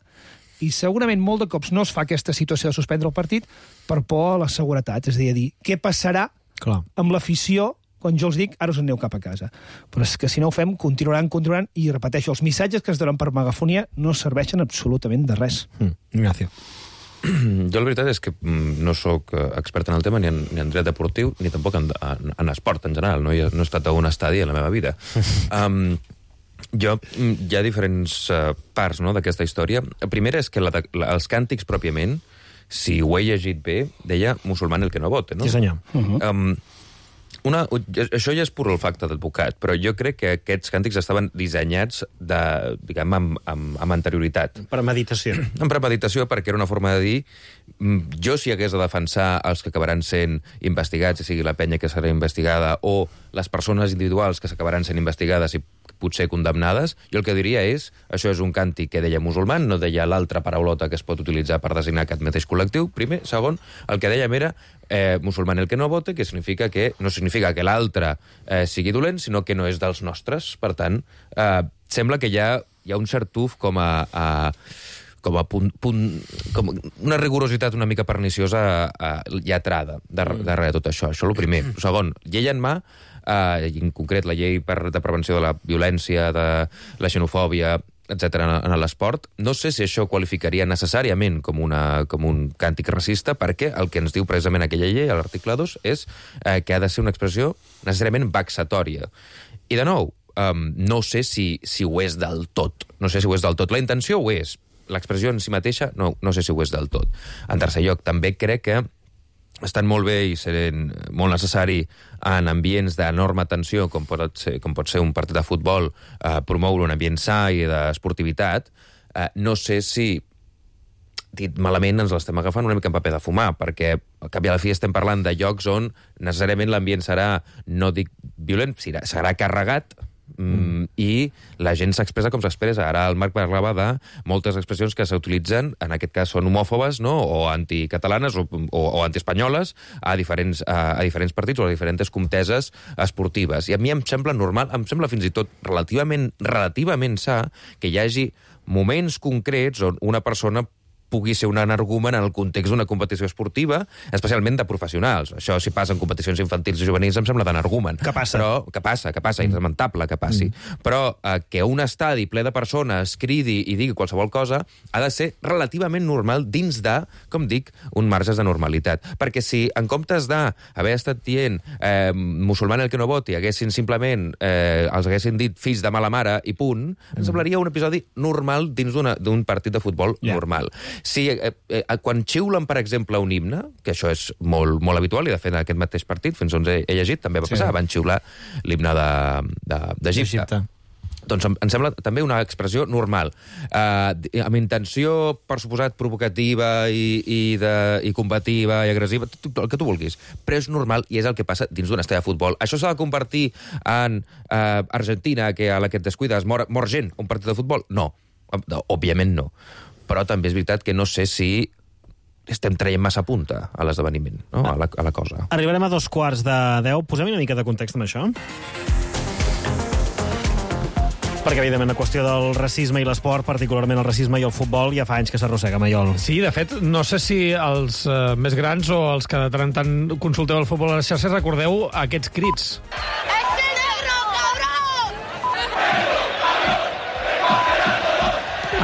i segurament molt de cops no es fa aquesta situació de suspendre el partit per por a la seguretat. És a dir, què passarà amb l'afició quan jo els dic, ara us en aneu cap a casa. Però és que si no ho fem, continuaran, i repeteixo, els missatges que es donen per megafonia no serveixen absolutament de res. Ignacio. Jo la veritat és que no sóc expert en el tema ni en dret deportiu ni tampoc en esport en general. No he estat a un estadi en la meva vida. Hi ha diferents parts d'aquesta història. La primera és que els càntics pròpiament, si ho he llegit bé, deia musulmán el que no vote. No? Sí, senyor. Això ja és pur olfacte d'advocat, però jo crec que aquests càntics estaven dissenyats amb anterioritat. Premeditació. Amb premeditació, perquè era una forma de dir jo si hagués de defensar els que acabaran sent investigats, si sigui la penya que serà investigada, o les persones individuals que s'acabaran sent investigades i potser condemnades, jo el que diria és això és un càntic que deia musulman, no deia l'altra paraulota que es pot utilitzar per designar aquest mateix col·lectiu, primer. Segon, el que dèiem era musulman el que no vote, que significa que no significa que l'altre sigui dolent, sinó que no és dels nostres. Per tant, sembla que hi ha un cert tuf com a una rigorositat una mica perniciosa lletrada darrere de tot això. Això és el primer. Segon, llei en mà, en concret la llei de prevenció de la violència, de la xenofòbia, etc. en l'esport. No sé si això qualificaria necessàriament com un càntic racista, perquè el que ens diu precisament aquella llei, a l'article 2, és que ha de ser una expressió necessàriament vexatòria. I de nou, no sé si ho és del tot. No sé si ho és del tot. La intenció ho és. L'expressió en si mateixa no sé si ho és del tot. En tercer lloc, també crec que estan molt bé i sent molt necessari en ambients d'enorme tensió, com pot ser un partit de futbol, promoure un ambient sa i d'esportivitat. No sé si, dit malament, ens l'estem agafant una mica en paper de fumar, perquè al cap i a la fi estem parlant de llocs on necessàriament l'ambient serà, no dic violent, serà carregat, i la gent s'expressa com s'expressa. Ara el Marc parlava de moltes expressions que s'utilitzen, en aquest cas són homòfobes, no? O anticatalanes o antiespanyoles a diferents partits o a diferents conteses esportives. I a mi em sembla normal, em sembla fins i tot relativament sa que hi hagi moments concrets on una persona pugui ser un energumen en el context d'una competició esportiva, especialment de professionals. Això, si passa en competicions infantils i juvenils, em sembla d'energumen. Que passa. Però, que passa, és lamentable que passi. Però que un estadi ple de persones cridi i digui qualsevol cosa ha de ser relativament normal dins de, com dic, un marge de normalitat. Perquè si, en comptes d'haver estat dient musulman el que no voti, els haguessin dit fills de mala mare i punt, ens semblaria un episodi normal dins d'un partit de futbol normal. Si quan xiulen, per exemple, un himne, que això és molt, molt habitual, i de fet en aquest mateix partit, fins on he llegit, també va passar, van xiular l'himne d'Egipte. Doncs em sembla també una expressió normal. Amb intenció, per suposat, provocativa i combativa i agressiva, el que tu vulguis. Però és normal i és el que passa dins d'un estadi de futbol. Això s'ha de convertir en Argentina, que a la que et descuides mor gent, un partit de futbol? No, òbviament no. Però també és veritat que no sé si estem traient massa punta a l'esdeveniment, no? A la cosa. Arribarem a 2:15. Posem una mica de context amb això. Perquè, evidentment, la qüestió del racisme i l'esport, particularment el racisme i el futbol, ja fa anys que s'arrossega, Maiol. Sí, de fet, no sé si els més grans o els que de tant en tant consulteu el futbol a les xarxes recordeu aquests crits.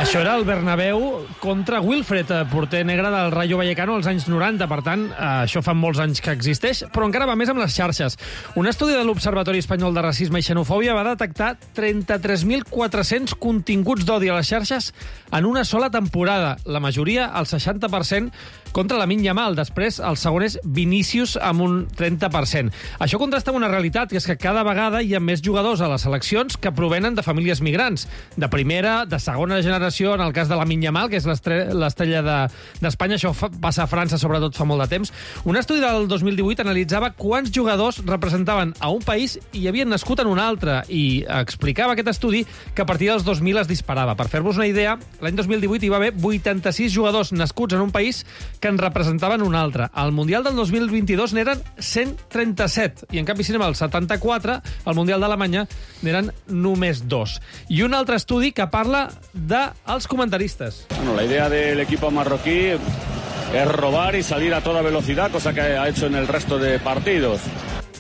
Això era el Bernabéu contra Wilfred, porter negre del Rayo Vallecano als anys 90. Per tant, això fa molts anys que existeix, però encara va més amb les xarxes. Un estudi de l'Observatori Espanyol de Racisme i Xenofòbia va detectar 33.400 continguts d'odi a les xarxes en una sola temporada. La majoria, el 60%, contra Lamine Yamal. Després, el segon és Vinícius, amb un 30%. Això contrasta amb una realitat, que és que cada vegada hi ha més jugadors a les seleccions que provenen de famílies migrants, de primera, de segona generació, en el cas de Lamine Yamal, que és l'estrella d'Espanya. Això passa a França, sobretot, fa molt de temps. Un estudi del 2018 analitzava quants jugadors representaven a un país i havien nascut en un altre, i explicava aquest estudi que a partir dels 2000 es disparava. Per fer-vos una idea, l'any 2018 hi va haver 86 jugadors nascuts en un país que en representaven un altre. Al Mundial del 2022 n'eren 137, i en canvi, si anem al 74, al Mundial d'Alemanya n'eren només 2. I un altre estudi que parla dels comentaristes. Bueno, la idea del equipo marroquí es robar y salir a toda velocidad, cosa que ha hecho en el resto de partidos.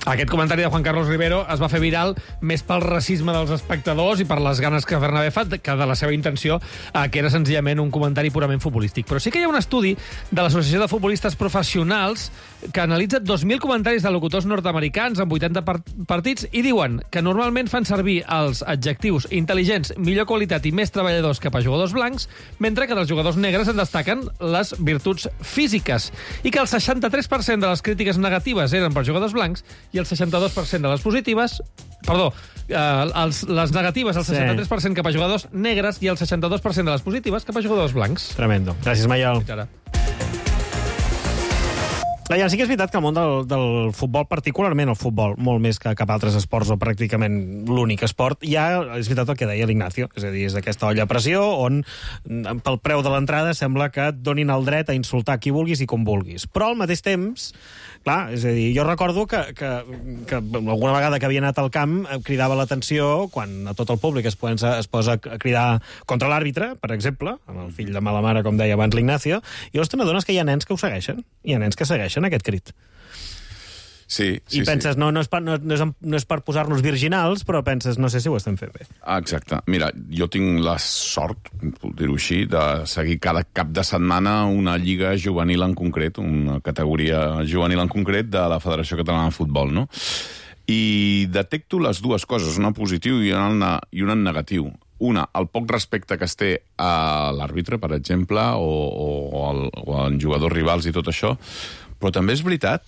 Aquest comentari de Juan Carlos Rivero es va fer viral més pel racisme dels espectadors i per les ganes que Bernabé fa que de la seva intenció, que era senzillament un comentari purament futbolístic. Però sí que hi ha un estudi de l'Associació de Futbolistes Professionals que analitza 2.000 comentaris de locutors nord-americans en 80 partits i diuen que normalment fan servir els adjectius intel·ligents, millor qualitat i més treballadors cap a jugadors blancs, mentre que dels jugadors negres en destaquen les virtuts físiques, i que el 63% de les crítiques negatives eren per jugadors blancs i el 62% de les positives... Perdó, les negatives, el 63% cap a jugadors negres i el 62% de les positives cap a jugadors blancs. Tremendo. Gràcies, Maiol. Ja, sí que és veritat que el món del futbol, particularment el futbol, molt més que cap altres esports o pràcticament l'únic esport, ja és veritat el que deia l'Ignacio, és a dir, és aquesta olla a pressió on pel preu de l'entrada sembla que et donin el dret a insultar qui vulguis i com vulguis. Però al mateix temps, clar, és a dir, jo recordo que alguna vegada que havia anat al camp cridava l'atenció quan a tot el públic es posa a cridar contra l'àrbitre, per exemple, amb el fill de mala mare, com deia abans l'Ignacio, i llavors te n'adones que hi ha nens que ho segueixen, hi ha nens que segueixen aquest crit. Sí. I penses, no és per posar-nos virginals, però penses, no sé si ho estem fent bé. Exacte. Mira, jo tinc la sort, puc dir-ho així, de seguir cada cap de setmana una lliga juvenil en concret, una categoria juvenil en concret de la Federació Catalana de Futbol, no? I detecto les dues coses, una en positiu i una en negatiu. Una, el poc respecte que es té a l'àrbitre, per exemple, o als jugadors rivals i tot això, però també és veritat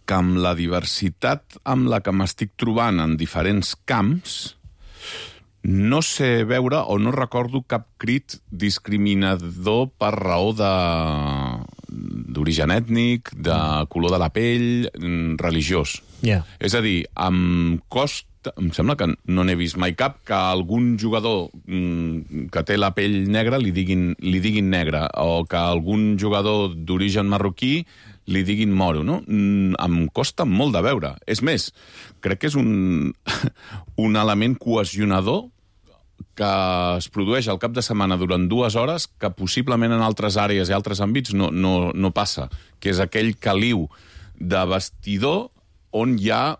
que amb la diversitat amb la que m'estic trobant en diferents camps, no sé veure o no recordo cap crit discriminador per raó d'origen ètnic, de color de la pell, religiós. Yeah. És a dir, em sembla que no n'he vist mai cap que algun jugador que té la pell negra li diguin negre, o que algun jugador d'origen marroquí li diguin moro, no? Em costa molt de veure. És més, crec que és un element cohesionador que es produeix al cap de setmana durant 2 hores que possiblement en altres àrees i altres àmbits no passa, que és aquell caliu de vestidor on hi ha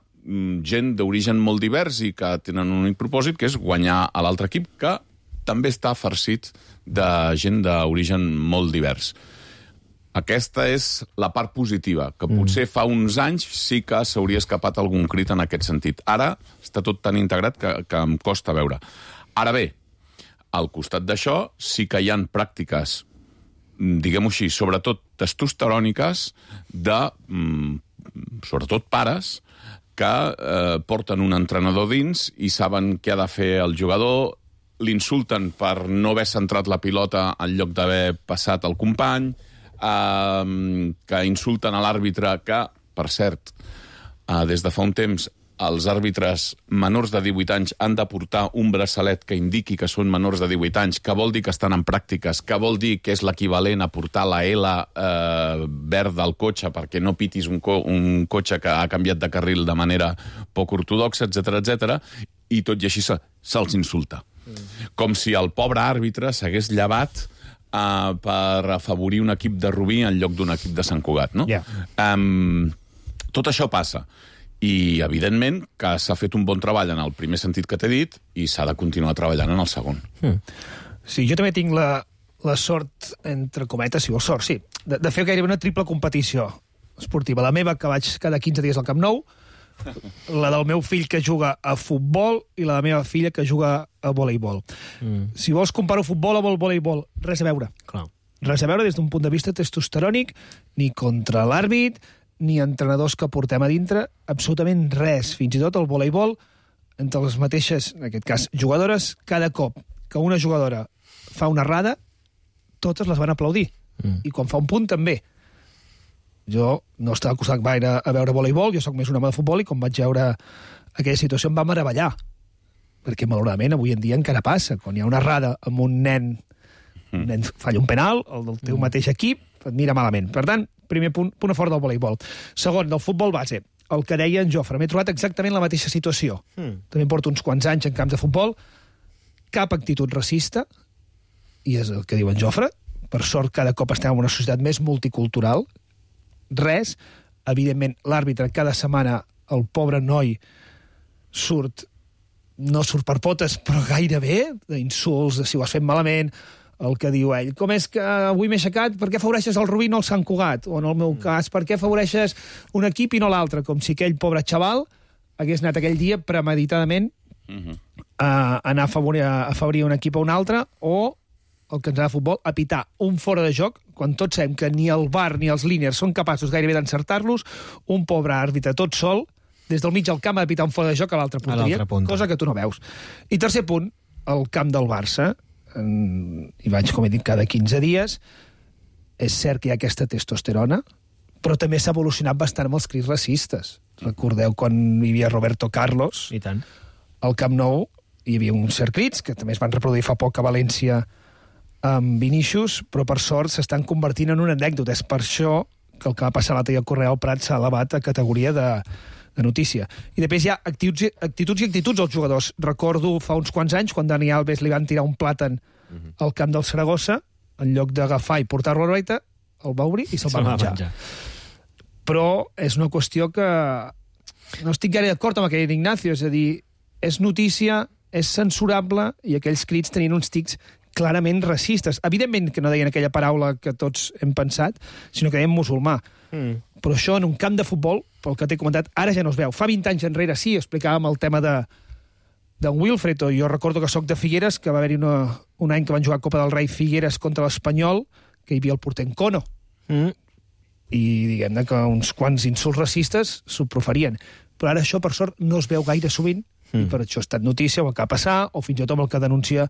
gent d'origen molt divers i que tenen un únic propòsit, que és guanyar a l'altre equip, que també està farcit de gent d'origen molt divers. Aquesta és la part positiva, que potser fa uns anys sí que s'hauria escapat algun crit en aquest sentit. Ara està tot tan integrat que em costa veure. Ara bé, al costat d'això sí que hi ha pràctiques, diguem-ho així, sobretot testosteròniques, de sobretot pares, que porten un entrenador dins i saben què ha de fer el jugador, l'insulten per no haver centrat la pilota en lloc d'haver passat el company, que insulten a l'àrbitre que, per cert, des de fa un temps els àrbitres menors de 18 anys han de portar un braçalet que indiqui que són menors de 18 anys, que vol dir que estan en pràctiques, que vol dir que és l'equivalent a portar la L verda al cotxe perquè no pitis un cotxe que ha canviat de carril de manera poc ortodoxa, etc. I tot i així se'ls insulta. Com si el pobre àrbitre s'hagués llevat per afavorir un equip de Rubí en lloc d'un equip de Sant Cugat, no? Tot això passa. I, evidentment, que s'ha fet un bon treball en el primer sentit que t'he dit i s'ha de continuar treballant en el segon. Sí, jo també tinc la sort, entre cometes, si vols sort, sí, de fer gairebé una triple competició esportiva. La meva, que vaig cada 15 dies al Camp Nou, la del meu fill, que juga a futbol, i la de la meva filla, que juga a voleibol. Si vols comparar futbol amb el voleibol, res a veure. Res a veure des d'un punt de vista testosterònic, ni contra l'àrbit, ni entrenadors que portem a dintre, absolutament res. Fins i tot el voleibol, entre les mateixes, en aquest cas, jugadores, cada cop que una jugadora fa una errada, totes les van aplaudir. I quan fa un punt, també. Jo no estava acostat gaire a veure voleibol, jo sóc més un home de futbol, i quan vaig veure aquella situació em va meravellar. Perquè, malauradament, avui en dia encara passa. Quan hi ha una errada amb un nen falla un penal, el del teu mateix equip, et mira malament. Per tant, primer punt a fort del voleibol. Segon, del futbol base, el que deia en Jofre. M'he trobat exactament la mateixa situació. També porto uns quants anys en camps de futbol, cap actitud racista, i és el que diu en Jofre. Per sort, cada cop estem en una societat més multicultural. Res. Evidentment, l'àrbitre cada setmana, el pobre noi, no surt per potes, però gairebé, d'insults, de si ho has fet malament, el que diu ell. Com és que avui m'he aixecat, per què afavoreixes el Rubí i no el Sant Cugat? O en el meu cas, per què afavoreixes un equip i no l'altre? Com si aquell pobre xaval hagués anat aquell dia premeditadament a anar a afavorir un equip a un altre, o el que ens ha de futbol, a pitar un fora de joc, quan tots sabem que ni el VAR ni els líniers són capaços gairebé d'encertar-los, un pobre àrbitre tot sol, des del mig del camp ha de pitar un fora de joc a l'altra punteria, cosa que tu no veus. I tercer punt, el camp del Barça, hi vaig, com he dit, cada 15 dies. És cert que hi ha aquesta testosterona, però també s'ha evolucionat bastant amb els crits racistes. Recordeu quan hi havia Roberto Carlos, i tant, al Camp Nou hi havia uns certs crits que també es van reproduir fa poc a València amb Vinícius, però per sort s'estan convertint en una anècdota. És per això que el que va passar l'altre dia al Correal Prat s'ha elevat a categoria de notícia. I després hi ha actituds i actituds als jugadors. Recordo fa uns quants anys, quan Dani Alves li van tirar un plàtan al camp del Saragossa, en lloc d'agafar i portar-lo a l'oreta, el va obrir i se'l va menjar. Però és una qüestió que no estic gaire d'acord amb aquell Ignacio, és a dir, és notícia, és censurable, i aquells crits tenien uns tics clarament racistes. Evidentment que no deien aquella paraula que tots hem pensat, sinó que deien musulmà. Però això en un camp de futbol, pel que t'he comentat, ara ja no es veu. Fa 20 anys enrere sí, explicàvem el tema d'en Wilfred, o jo recordo que soc de Figueres, que va haver-hi un any que van jugar Copa del Rei Figueres contra l'Espanyol, que hi havia el porter Encono. I diguem-ne que uns quants insults racistes s'ho proferien. Però ara això, per sort, no es veu gaire sovint, i per això ha estat notícia, o el que va passar, o fins i tot amb el que denuncia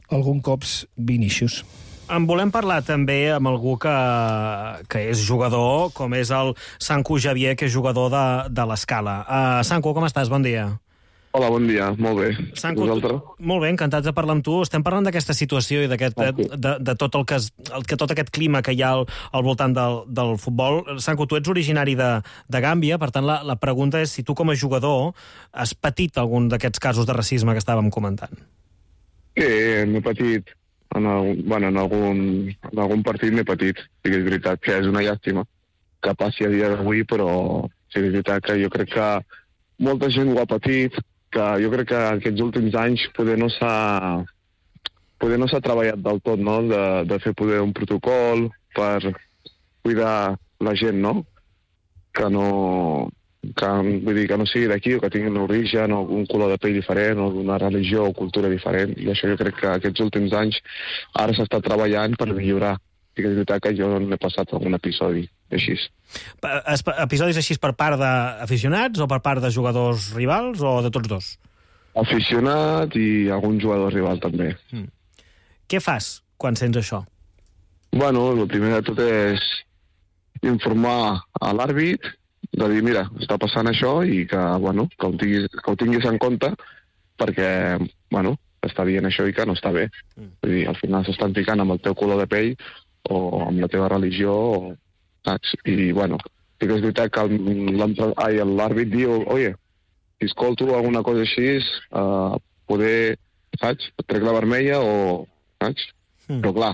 algun cops Vinícius. En volem parlar també amb algú que és jugador, com és el Sanku Javier, que és jugador de l'Escala. Sanku, com estàs? Bon dia. Hola, bon dia. Molt bé. Sanku, molt bé, encantats de parlar amb tu. Estem parlant d'aquesta situació i de tot tot aquest clima que hi ha al voltant del futbol. Sanku, tu ets originari de Gàmbia, per tant, la pregunta és si tu com a jugador has patit algun d'aquests casos de racisme que estàvem comentant. Sí, m'he patit. En algun partit m'he patit. Sí que és veritat que és una llàstima que passi a dia d'avui, però sí que és veritat que jo crec que molta gent ho ha patit, que jo crec que aquests últims anys poder no s'ha treballat del tot, no? De fer poder un protocol per cuidar la gent, no? Que vull dir, que no sigui d'aquí, o que tinguin un origen, o un color de pell diferent, o una religió o cultura diferent. I això jo crec que aquests últims anys ara s'està treballant per millorar. I que és veritat que jo n'he passat algun episodi així. Episodis així per part d'aficionats o per part de jugadors rivals o de tots dos? Aficionat i algun jugador rival també. Què fas quan sents això? Bueno, el primer de tot és informar a l'àrbit de dir, mira, està passant això i que ho tinguis en compte perquè, està dient això i que no està bé. Vull dir, al final s'estan ficant amb el teu color de pell o amb la teva religió, saps? I, sí que és veritat que l'àrbit diu, oye, si escolto alguna cosa així, poder, saps, et trec la vermella o, saps? Però clar,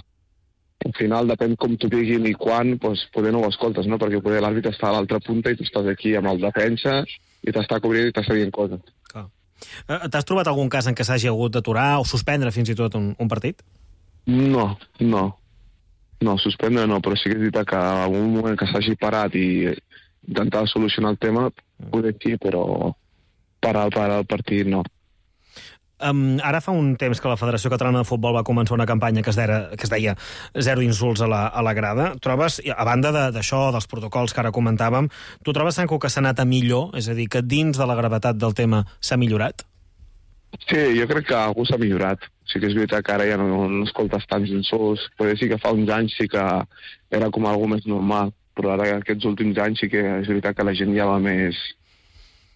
al final depèn com t'ho diguin i quan, doncs poder no ho escoltes, no? Perquè poder l'àrbit està a l'altra punta i tu estàs aquí amb el defensa i t'està cobrint i t'està dient coses. Clar. T'has trobat algun cas en què s'hagi hagut d'aturar o suspendre fins i tot un partit? No, suspendre no, però sí que és veritat que en algun moment que s'hagi parat i intentar solucionar el tema, poder sí, però parar el partit no. Ara fa un temps que la Federació Catalana de Futbol va començar una campanya que es deia Zero insults a la grada. Trobes, a banda d'això, dels protocols que ara comentàvem, tu trobes, Sanco, que s'ha anat a millor? És a dir, que dins de la gravetat del tema s'ha millorat? Sí, jo crec que algú s'ha millorat. Sí que és veritat que ara ja no escoltes tants insults. Potser sí que fa uns anys sí que era com algo més normal, però ara aquests últims anys sí que és veritat que la gent ja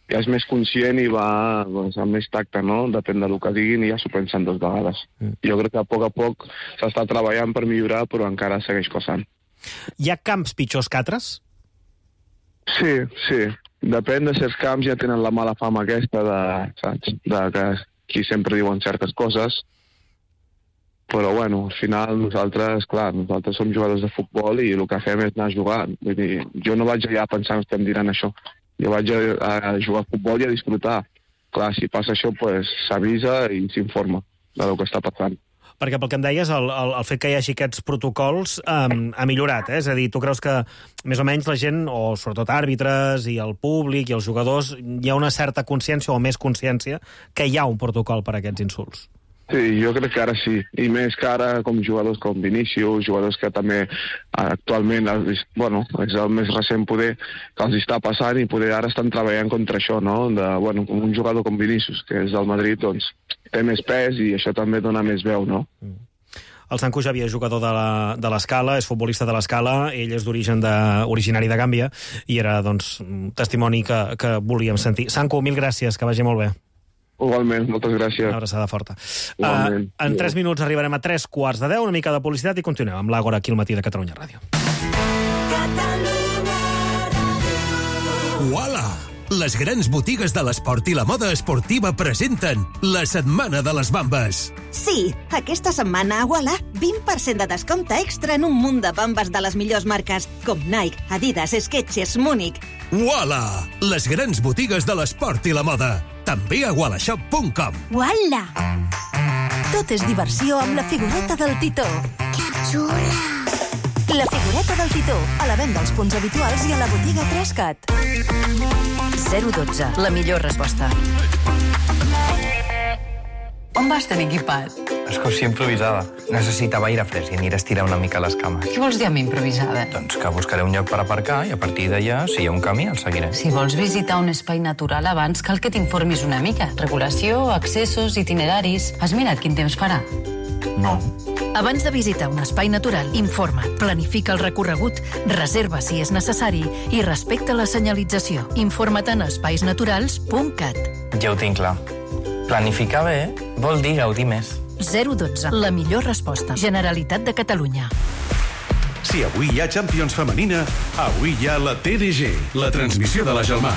és més conscient i va amb més tacte, no? Depèn del que diguin i ja s'ho pensen 2 vegades. Jo crec que a poc s'està treballant per millorar, però encara segueix passant. Hi ha camps pitjors que altres? Sí. Depèn de certs camps, ja tenen la mala fama aquesta saps? De que aquí sempre diuen certes coses, però al final nosaltres som jugadors de futbol i el que fem és anar a jugar. Vull dir, jo no vaig allà pensant que estem dirant això. Jo vaig a jugar a futbol i a disfrutar. Clar, si passa això, s'avisa i s'informa del que està passant. Perquè pel que em deies, el fet que hi hagi aquests protocols ha millorat, eh? És a dir, tu creus que més o menys la gent, o sobretot àrbitres i el públic i els jugadors, hi ha una certa consciència o més consciència que hi ha un protocol per a aquests insults? Sí, jo crec que ara sí. I més que ara com jugadors com Vinícius, jugadors que també actualment, és el més recent poder que els està passant i poder ara estan treballant contra això, no? Un jugador com Vinícius, que és del Madrid, doncs té més pes i això també dona més veu, no? El Sanco Xavier és jugador de l'Escala, és futbolista de l'Escala, ell és originari de Gàmbia i era, doncs, un testimoni que volíem sentir. Sanco, mil gràcies, que vagi molt bé. Igualment, moltes gràcies. Una abraçada forta. En 3 minuts arribarem a 3:15, una mica de publicitat i continuem amb l'Àgora aquí al matí de Catalunya Ràdio. Uala! Les grans botigues de l'esport i la moda esportiva presenten la Setmana de les Bambes. Sí, aquesta setmana a Uala, 20% de descompte extra en un munt de bambes de les millors marques, com Nike, Adidas, Skechers, Múnich. Uala! Les grans botigues de l'esport i la moda. També a ualashop.com. Uala! Tot és diversió amb la figureta del Titó. Que xula! La figureta del Titó, a la venda als punts habituals i a la botiga 3CAT. 012, la millor resposta. On vas tan equipat? Excursió improvisada. Necessitava aire fresc i aniré a estirar una mica les cames. Què vols dir amb improvisada? Doncs que buscaré un lloc per aparcar i a partir d'allà, si hi ha un camí, el seguiré. Si vols visitar un espai natural abans, cal que t'informis una mica. Regulació, accessos, itineraris... Has mirat quin temps farà? No. Abans de visitar un espai natural, informa't, planifica el recorregut, reserva si és necessari i respecta la senyalització. Informa't en espaisnaturals.cat. Ja ho tinc clar. Planificar bé vol dir gaudir més. 012, la millor resposta. Generalitat de Catalunya. Si avui hi ha Champions femenina, avui hi ha la TDG, la transmissió de la Gelmà.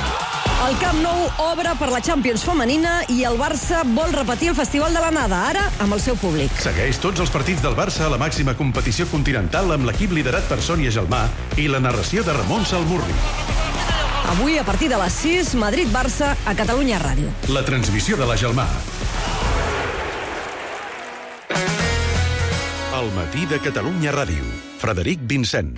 El Camp Nou obre per la Champions femenina i el Barça vol repetir el Festival de l'Anada, ara amb el seu públic. Segueix tots els partits del Barça a la màxima competició continental amb l'equip liderat per Sònia Gelmà i la narració de Ramon Salmurri. Avui, a partir de les 6, Madrid-Barça a Catalunya Ràdio. La transmissió de la Gelmà. El matí de Catalunya Ràdio. Frederic Vincent.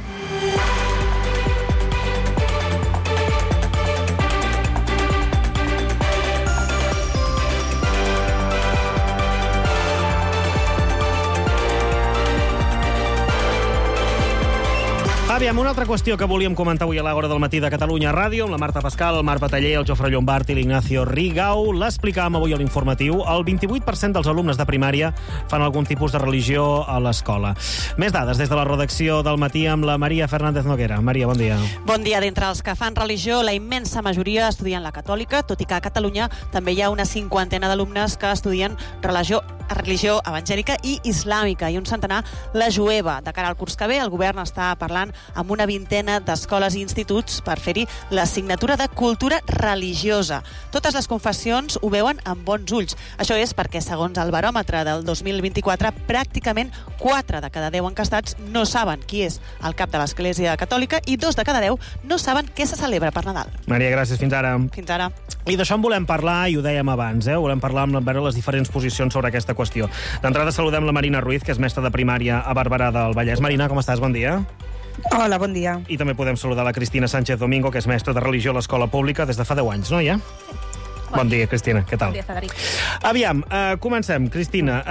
Aviam, una altra qüestió que volíem comentar avui a l'Hora del Matí de Catalunya Ràdio, amb la Marta Pascal, el Marc Bataller, el Jofre Llombart i l'Ignacio Rigau. L'explicàvem avui a l'informatiu. El 28% dels alumnes de primària fan algun tipus de religió a l'escola. Més dades des de la redacció del Matí amb la Maria Fernández Noguera. Maria, bon dia. Bon dia. D'entre els que fan religió, la immensa majoria estudien la catòlica, tot i que a Catalunya també hi ha una cinquantena d'alumnes que estudien religió evangèlica i islàmica, i un centenar la jueva. De cara al curs que ve, el govern està parlant amb una vintena d'escoles i instituts per fer-hi l'assignatura de cultura religiosa. Totes les confessions ho veuen amb bons ulls. Això és perquè, segons el baròmetre del 2024, pràcticament 4 de cada 10 encastats no saben qui és el cap de l'Església Catòlica i 2 de cada 10 no saben què se celebra per Nadal. Maria, gràcies. Fins ara. Fins ara. I d'això en volem parlar, i ho dèiem abans, volem parlar amb les diferents posicions sobre aquesta qüestió. D'entrada saludem la Marina Ruiz, que és mestra de primària a Barberà del Vallès. Marina, com estàs? Bon dia. Hola, bon dia. I també podem saludar la Cristina Sánchez Domingo, que és mestra de religió a l'escola pública des de fa 10 anys, no, ja? Bon dia, Cristina. Què tal? Bon dia, Frederic. Aviam, comencem. Cristina,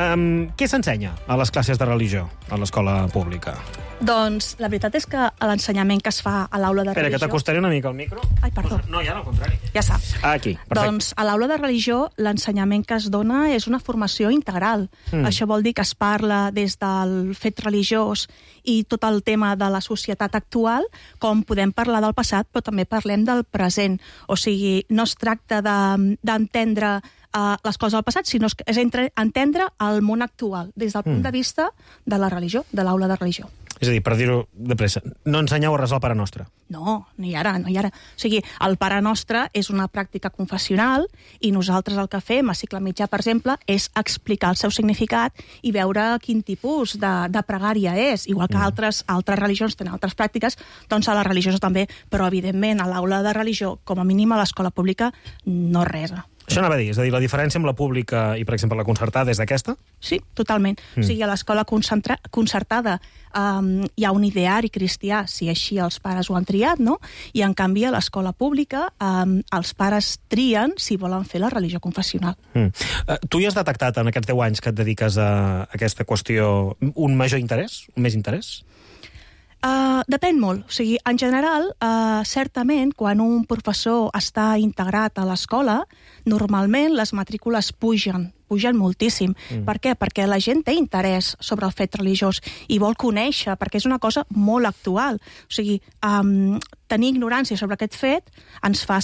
què s'ensenya a les classes de religió a l'escola pública? Doncs la veritat és que l'ensenyament que es fa a l'aula de religió... Espera, que t'acostaré una mica al micro. Ai, perdó. No, ja no, al contrari. Ja està. Aquí, perfecte. Doncs a l'aula de religió l'ensenyament que es dona és una formació integral. Això vol dir que es parla des del fet religiós i tot el tema de la societat actual, com podem parlar del passat, però també parlem del present. O sigui, no es tracta d'entendre les coses del passat, sinó que és entendre el món actual des del punt de vista de la religió, de l'aula de religió. És a dir, per dir-ho de pressa, no ensenyeu a resar el Pare Nostre. No, ni ara. O sigui, el Pare Nostre és una pràctica confessional i nosaltres el que fem a cicle mitjà, per exemple, és explicar el seu significat i veure quin tipus de pregària és. Igual que altres religions tenen altres pràctiques, doncs a les religioses també, però evidentment a l'aula de religió, com a mínim a l'escola pública, no resa. Això anava a dir, és a dir, la diferència amb la pública i, per exemple, la concertada és aquesta? Sí, totalment. O sigui, a l'escola concertada hi ha un ideari cristià, si així els pares ho han triat, no? I, en canvi, a l'escola pública els pares trien si volen fer la religió confessional. Tu hi has detectat, en aquests 10 anys que et dediques a aquesta qüestió, un major interès? Un més interès? Depèn molt. O sigui, en general, certament, quan un professor està integrat a l'escola, normalment les matrícules pugen moltíssim. Per què? Perquè la gent té interès sobre el fet religiós i vol conèixer, perquè és una cosa molt actual. O sigui, tenir ignorància sobre aquest fet ens fa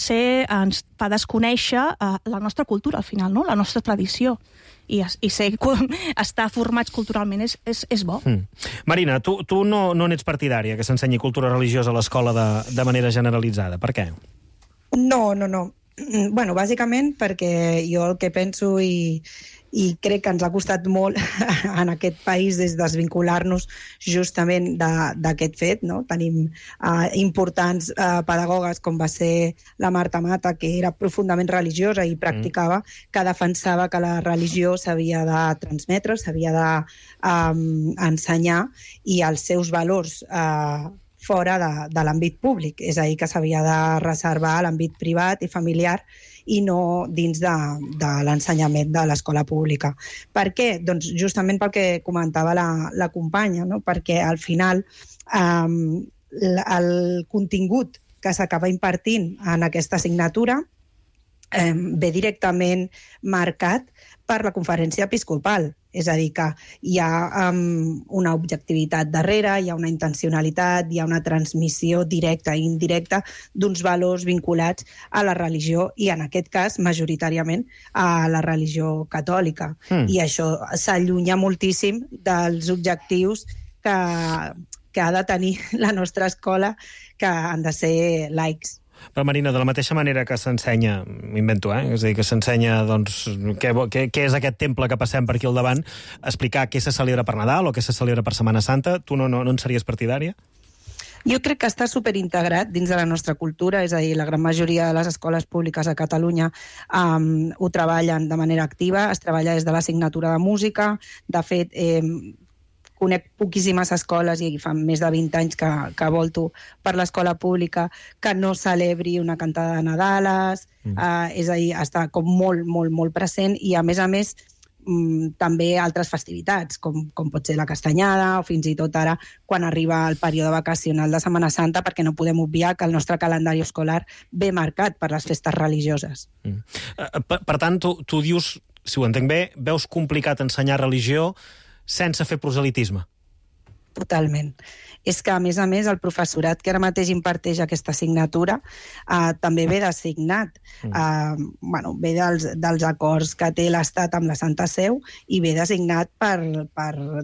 desconèixer la nostra cultura, al final, no? La nostra tradició. I estar formats culturalment és bo. Marina, tu no n'ets partidària que s'ensenyi cultura religiosa a l'escola de manera generalitzada. Per què? No. Bueno, bàsicament perquè jo el que penso i crec que ens ha costat molt en aquest país des de desvincular-nos justament d'aquest fet, no? Tenim importants pedagogues com va ser la Marta Mata, que era profundament religiosa i practicava, que defensava que la religió s'havia de transmetre, s'havia d'ensenyar i els seus valors fora de l'àmbit públic, és a dir, que s'havia de reservar a l'àmbit privat i familiar i no dins de l'ensenyament de l'escola pública. Per què? Doncs justament pel que comentava la companya, no? Perquè al final el contingut que s'acaba impartint en aquesta assignatura ve directament marcat per la conferència episcopal. És a dir, que hi ha una objectivitat darrere, hi ha una intencionalitat, hi ha una transmissió directa i indirecta d'uns valors vinculats a la religió i, en aquest cas, majoritàriament a la religió catòlica. I això s'allunya moltíssim dels objectius que ha de tenir la nostra escola, que han de ser laics. Però, Marina, de la mateixa manera que s'ensenya, m'invento, és a dir, que s'ensenya, doncs, què és aquest temple que passem per aquí al davant, explicar què se celebra per Nadal o què se celebra per Setmana Santa, tu no en series partidària? Jo crec que està superintegrat dins de la nostra cultura, és a dir, la gran majoria de les escoles públiques a Catalunya ho treballen de manera activa, es treballa des de l'assignatura de música, de fet, conec poquíssimes escoles, i fa més de 20 anys que volto per l'escola pública, que no celebri una cantada de Nadales, és a dir, està com molt, molt, molt present, i a més també altres festivitats, com pot ser la castanyada o fins i tot ara quan arriba el període vacacional de Setmana Santa, perquè no podem obviar que el nostre calendari escolar ve marcat per les festes religioses. Per tant, tu dius, si ho entenc bé, veus complicat ensenyar religió sense fer proselitisme. Totalment. És que, a més, el professorat que ara mateix imparteix aquesta assignatura també ve designat. Ve dels acords que té l'Estat amb la Santa Seu i ve designat per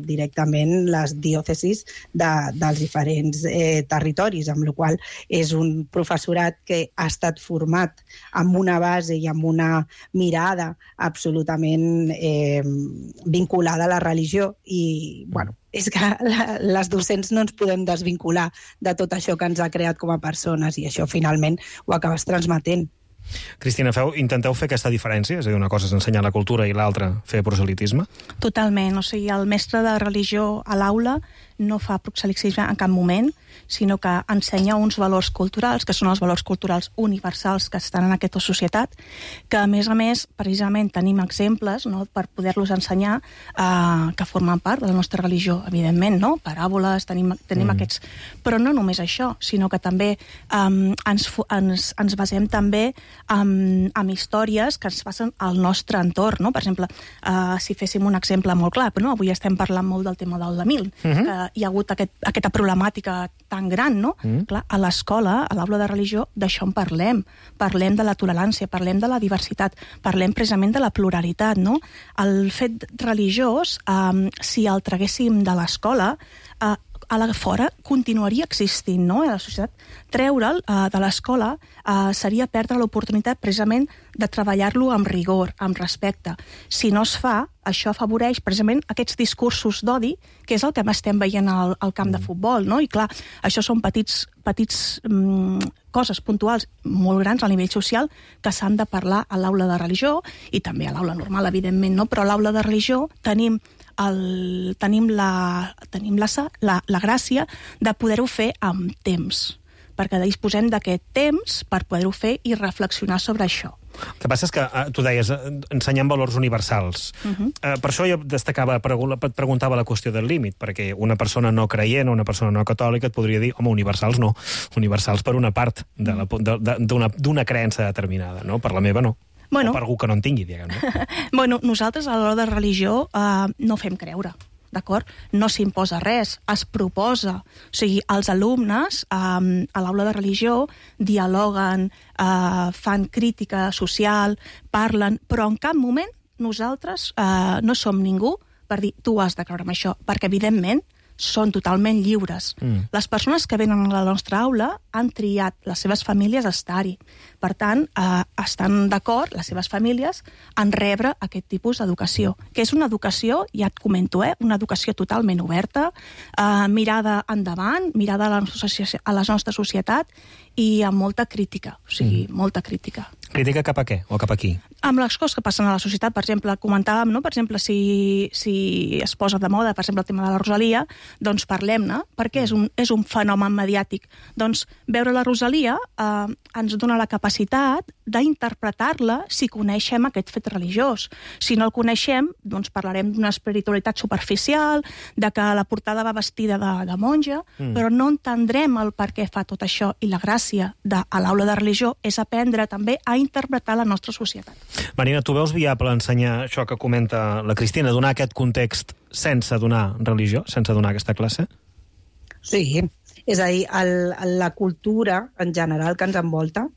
directament les diòcesis dels diferents territoris, amb la qual cosa és un professorat que ha estat format amb una base i amb una mirada absolutament vinculada a la religió i, és que les docents no ens podem desvincular de tot això que ens ha creat com a persones i això finalment ho acabes transmetent. Cristina, intenteu fer aquesta diferència? És a dir, una cosa és ensenyar la cultura i l'altra fer proselitisme? Totalment. O sigui, el mestre de religió a l'aula no fa proselitisme en cap moment, sinó que ensenya uns valors culturals, que són els valors culturals universals que estan en aquesta societat, que a més, precisament tenim exemples per poder-los ensenyar que formen part de la nostra religió, evidentment, no? Paràboles, tenim aquests... Però no només això, sinó que també ens basem també en històries que ens passen al nostre entorn, no? Per exemple, si féssim un exemple molt clar, no? Avui estem parlant molt del tema del Tamil, que hi ha hagut aquesta problemàtica tan gran, no? Clar, a l'escola, a l'aula de religió, d'això en parlem. Parlem de la tolerància, parlem de la diversitat, parlem precisament de la pluralitat, no? El fet religiós, si el traguéssim de l'escola, a la fora continuaria existint, no? A la societat. Treure'l de l'escola seria perdre l'oportunitat precisament de treballar-lo amb rigor, amb respecte. Si no es fa, això afavoreix precisament aquests discursos d'odi, que és el que estem veient al camp de futbol, no? I clar, això són petits coses puntuals molt grans a nivell social que s'han de parlar a l'aula de religió i també a l'aula normal, evidentment, no? Però a l'aula de religió tenim la gràcia de poder-ho fer amb temps, perquè disposem d'aquest temps per poder-ho fer i reflexionar sobre això. El que passa és que, tu deies, ensenyem valors universals. Per això jo et preguntava la qüestió del límit, perquè una persona no creient o una persona no catòlica et podria dir, home, universals no, universals per una part d'una creença determinada, no? Per la meva no. O per algú que no en tingui, diguem, no? Nosaltres a l'hora de religió no fem creure, d'acord? No s'imposa res, es proposa. O sigui, els alumnes a l'aula de religió dialoguen, fan crítica social, parlen, però en cap moment nosaltres no som ningú per dir tu has de creure en això, perquè evidentment són totalment lliures. Les persones que venen a la nostra aula han triat les seves famílies a estar-hi. Per tant, estan d'acord, les seves famílies, en rebre aquest tipus d'educació, que és una educació, ja et comento, una educació totalment oberta, mirada endavant, mirada a la nostra societat i amb molta crítica, o sigui, molta crítica. Crítica cap a què o cap a qui? Amb les coses que passen a la societat, per exemple, comentàvem, no? Per exemple, si es posa de moda, per exemple, el tema de la Rosalia, doncs parlem-ne, perquè és un fenomen mediàtic. Doncs veure la Rosalia ens dona la capacitat d'interpretar-la si coneixem aquest fet religiós. Si no el coneixem, doncs parlarem d'una espiritualitat superficial, de que la portada va vestida de monja, però no entendrem el per què fa tot això. I la gràcia a l'aula de religió és aprendre també a interpretar la nostra societat. Marina, tu veus viable ensenyar això que comenta la Cristina, donar aquest context sense donar religió, sense donar aquesta classe? Sí, és a dir, la cultura en general que ens envolta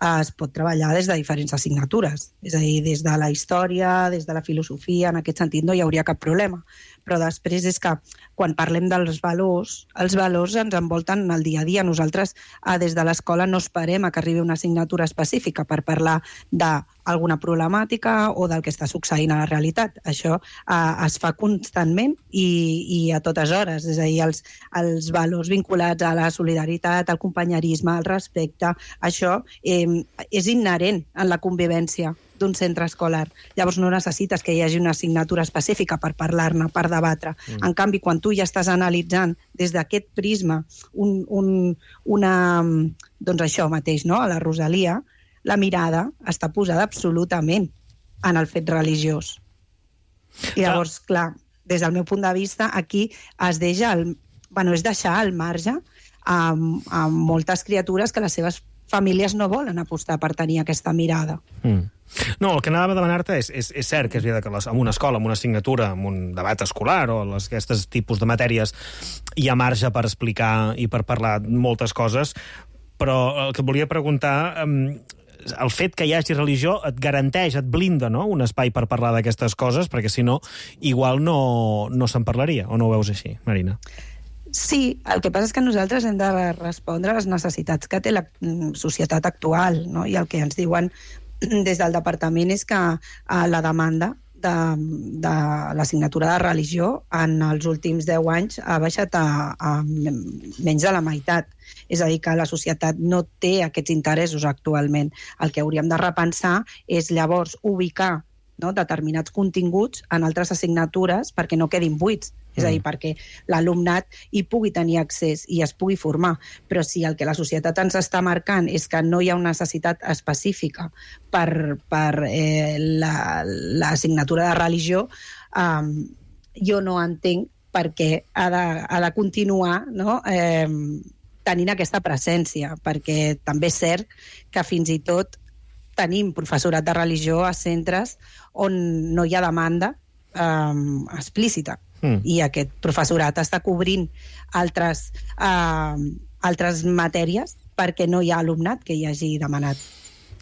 es pot treballar des de diferents assignatures. És a dir, des de la història, des de la filosofia, en aquest sentit no hi hauria cap problema. Però després és que quan parlem dels valors, els valors ens envolten el dia a dia. Nosaltres des de l'escola no esperem que arribi una assignatura específica per parlar d'alguna problemàtica o del que està succeint a la realitat. Això es fa constantment i a totes hores. És a dir, els valors vinculats a la solidaritat, al companyerisme, al respecte, això és inherent en la convivència d'un centre escolar. Llavors no necessites que hi hagi una assignatura específica per parlar-ne, per debatre. En canvi, quan tu ja estàs analitzant des d'aquest prisma doncs això mateix, no? A la Rosalia, la mirada està posada absolutament en el fet religiós. Llavors, clar, des del meu punt de vista, aquí és deixar al marge a moltes criatures que les seves famílies no volen apostar per tenir aquesta mirada. No, el que anava a demanar-te és cert que és veritat que en una escola, en una assignatura, en un debat escolar o aquests tipus de matèries hi ha marge per explicar i per parlar moltes coses, però el que et volia preguntar, el fet que hi hagi religió et garanteix, et blinda, no?, un espai per parlar d'aquestes coses, perquè si no, igual no se'n parlaria, o no ho veus així, Marina? Sí, el que passa és que nosaltres hem de respondre a les necessitats que té la societat actual, no? I el que ens diuen des del departament és que la demanda de l'assignatura de religió en els últims 10 anys ha baixat a menys de la meitat. És a dir, que la societat no té aquests interessos actualment. El que hauríem de repensar és llavors ubicar determinats continguts en altres assignatures perquè no quedin buits. És a dir, perquè l'alumnat hi pugui tenir accés i es pugui formar. Però si el que la societat ens està marcant és que no hi ha una necessitat específica per l'assignatura de religió, jo no entenc per què ha de continuar tenint aquesta presència, perquè també és cert que fins i tot tenim professorat de religió a centres on no hi ha demanda explícita. I aquest professorat està cobrint altres matèries perquè no hi ha alumnat que hi hagi demanat.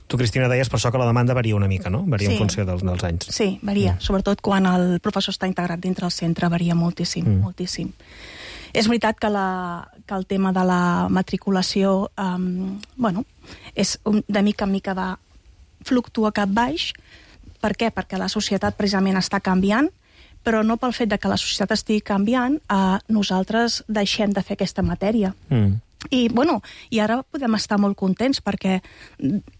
Tu, Cristina, deies per això que la demanda varia una mica, no? Varia en funció dels anys. Sí, varia. Sobretot quan el professor està integrat dintre el centre, varia moltíssim, moltíssim. És veritat que el tema de la matriculació és de mica en mica fluctua cap baix. Per què? Perquè la societat precisament està canviant, però no pel fet de que la societat estigui canviant, nosaltres deixem de fer aquesta matèria. I ara podem estar molt contents perquè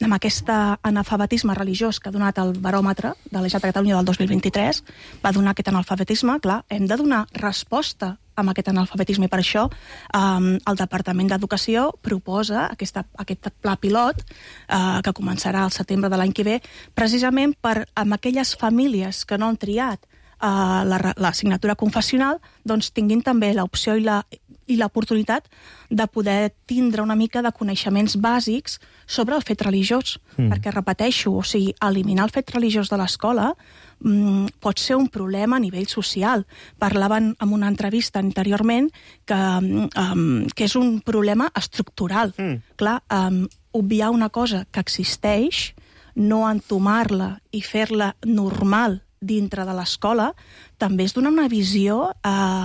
amb aquest analfabetisme religiós que ha donat el baròmetre de la Generalitat de Catalunya del 2023, va donar aquest analfabetisme, clar, hem de donar resposta amb aquest analfabetisme, i per això el Departament d'Educació proposa aquest pla pilot que començarà al setembre de l'any que ve, precisament per amb aquelles famílies que no han triat l'assignatura confessional, doncs tinguin també l'opció i l'oportunitat de poder tindre una mica de coneixements bàsics sobre el fet religiós. Perquè, repeteixo, eliminar el fet religiós de l'escola pot ser un problema a nivell social. Parlaven en una entrevista anteriorment que és un problema estructural. Clar, obviar una cosa que existeix, no entomar-la i fer-la normal dintre de l'escola, també és donar una visió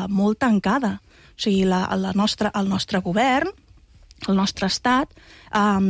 molt tancada. O sigui, el nostre govern, el nostre estat,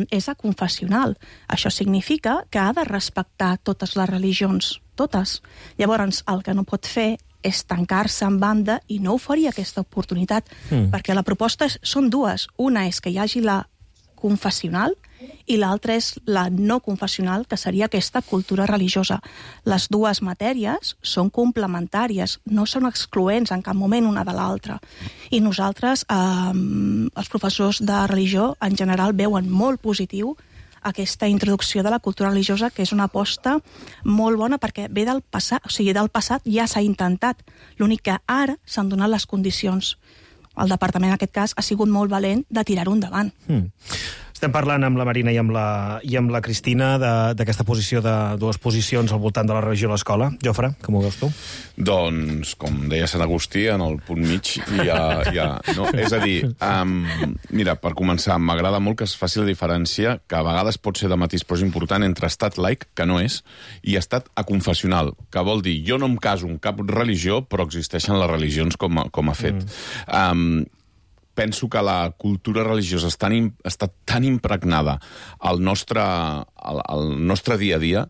és aconfessional. Això significa que ha de respectar totes les religions, totes. Llavors, el que no pot fer és tancar-se en banda i no oferir aquesta oportunitat, perquè la proposta són dues. Una és que hi hagi la confessional i l'altra és la no confessional, que seria aquesta cultura religiosa. Les dues matèries són complementàries, no són excloents en cap moment una de l'altra. I nosaltres, els professors de religió, en general, veuen molt positiu aquesta introducció de la cultura religiosa, que és una aposta molt bona perquè ve del passat, o sigui, del passat ja s'ha intentat. L'únic que ara s'han donat les condicions. El departament, en aquest cas, ha sigut molt valent de tirar-ho endavant. Estem parlant amb la Marina i amb la Cristina d'aquesta posició de dues posicions al voltant de la religió a l'escola. Jofre, com ho veus tu? Doncs, com deia Sant Agustí, en el punt mig no? És a dir, mira, per començar, m'agrada molt que es faci la diferència, que a vegades pot ser de matís, però és important, entre estat laic, que no és, i estat aconfessional, que vol dir, jo no em caso en cap religió, però existeixen les religions com a fet. Penso que la cultura religiosa està tan impregnada al nostre dia a dia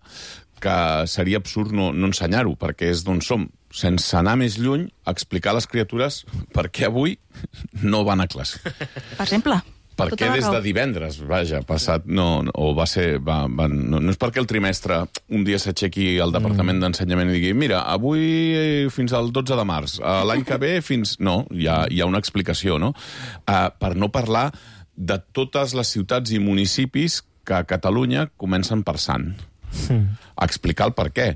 que seria absurd no ensenyar-ho, perquè és d'on som. Sense anar més lluny, explicar a les criatures per què avui no van a classe. Per exemple? Per què des de divendres, passat, no és perquè el trimestre un dia s'aixequi al Departament d'Ensenyament i digui, mira, avui fins al 12 de març, l'any que ve fins... No, hi ha una explicació, no? Per no parlar de totes les ciutats i municipis que a Catalunya comencen per Sant. Explicar el per què.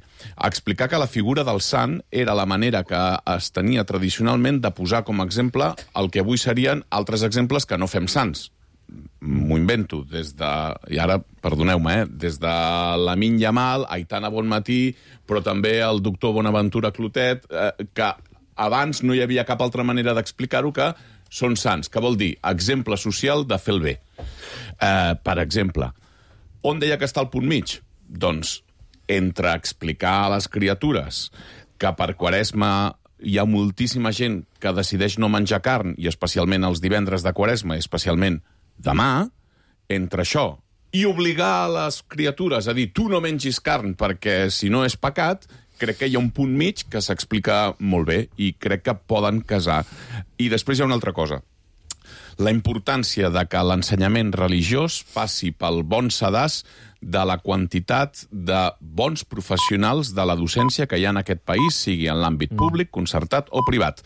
Explicar que la figura del sant era la manera que es tenia tradicionalment de posar com a exemple el que avui serien altres exemples que no fem sants. M'ho invento, i ara, perdoneu-me, des de Lamine Yamal, Aitana Bonmatí, però també el doctor Bonaventura Clotet, que abans no hi havia cap altra manera d'explicar-ho que són sants, que vol dir exemple social de fer el bé. Per exemple, on deia que està el punt mig? Doncs entre explicar a les criatures que per Quaresma hi ha moltíssima gent que decideix no menjar carn, i especialment els divendres de Quaresma, i especialment demà, entre això i obligar a les criatures a dir tu no mengis carn perquè si no és pecat, crec que hi ha un punt mig que s'explica molt bé i crec que poden casar. I després hi ha una altra cosa. La importància de que l'ensenyament religiós passi pel bon sedàs de la quantitat de bons professionals de la docència que hi ha en aquest país, sigui en l'àmbit públic, concertat o privat.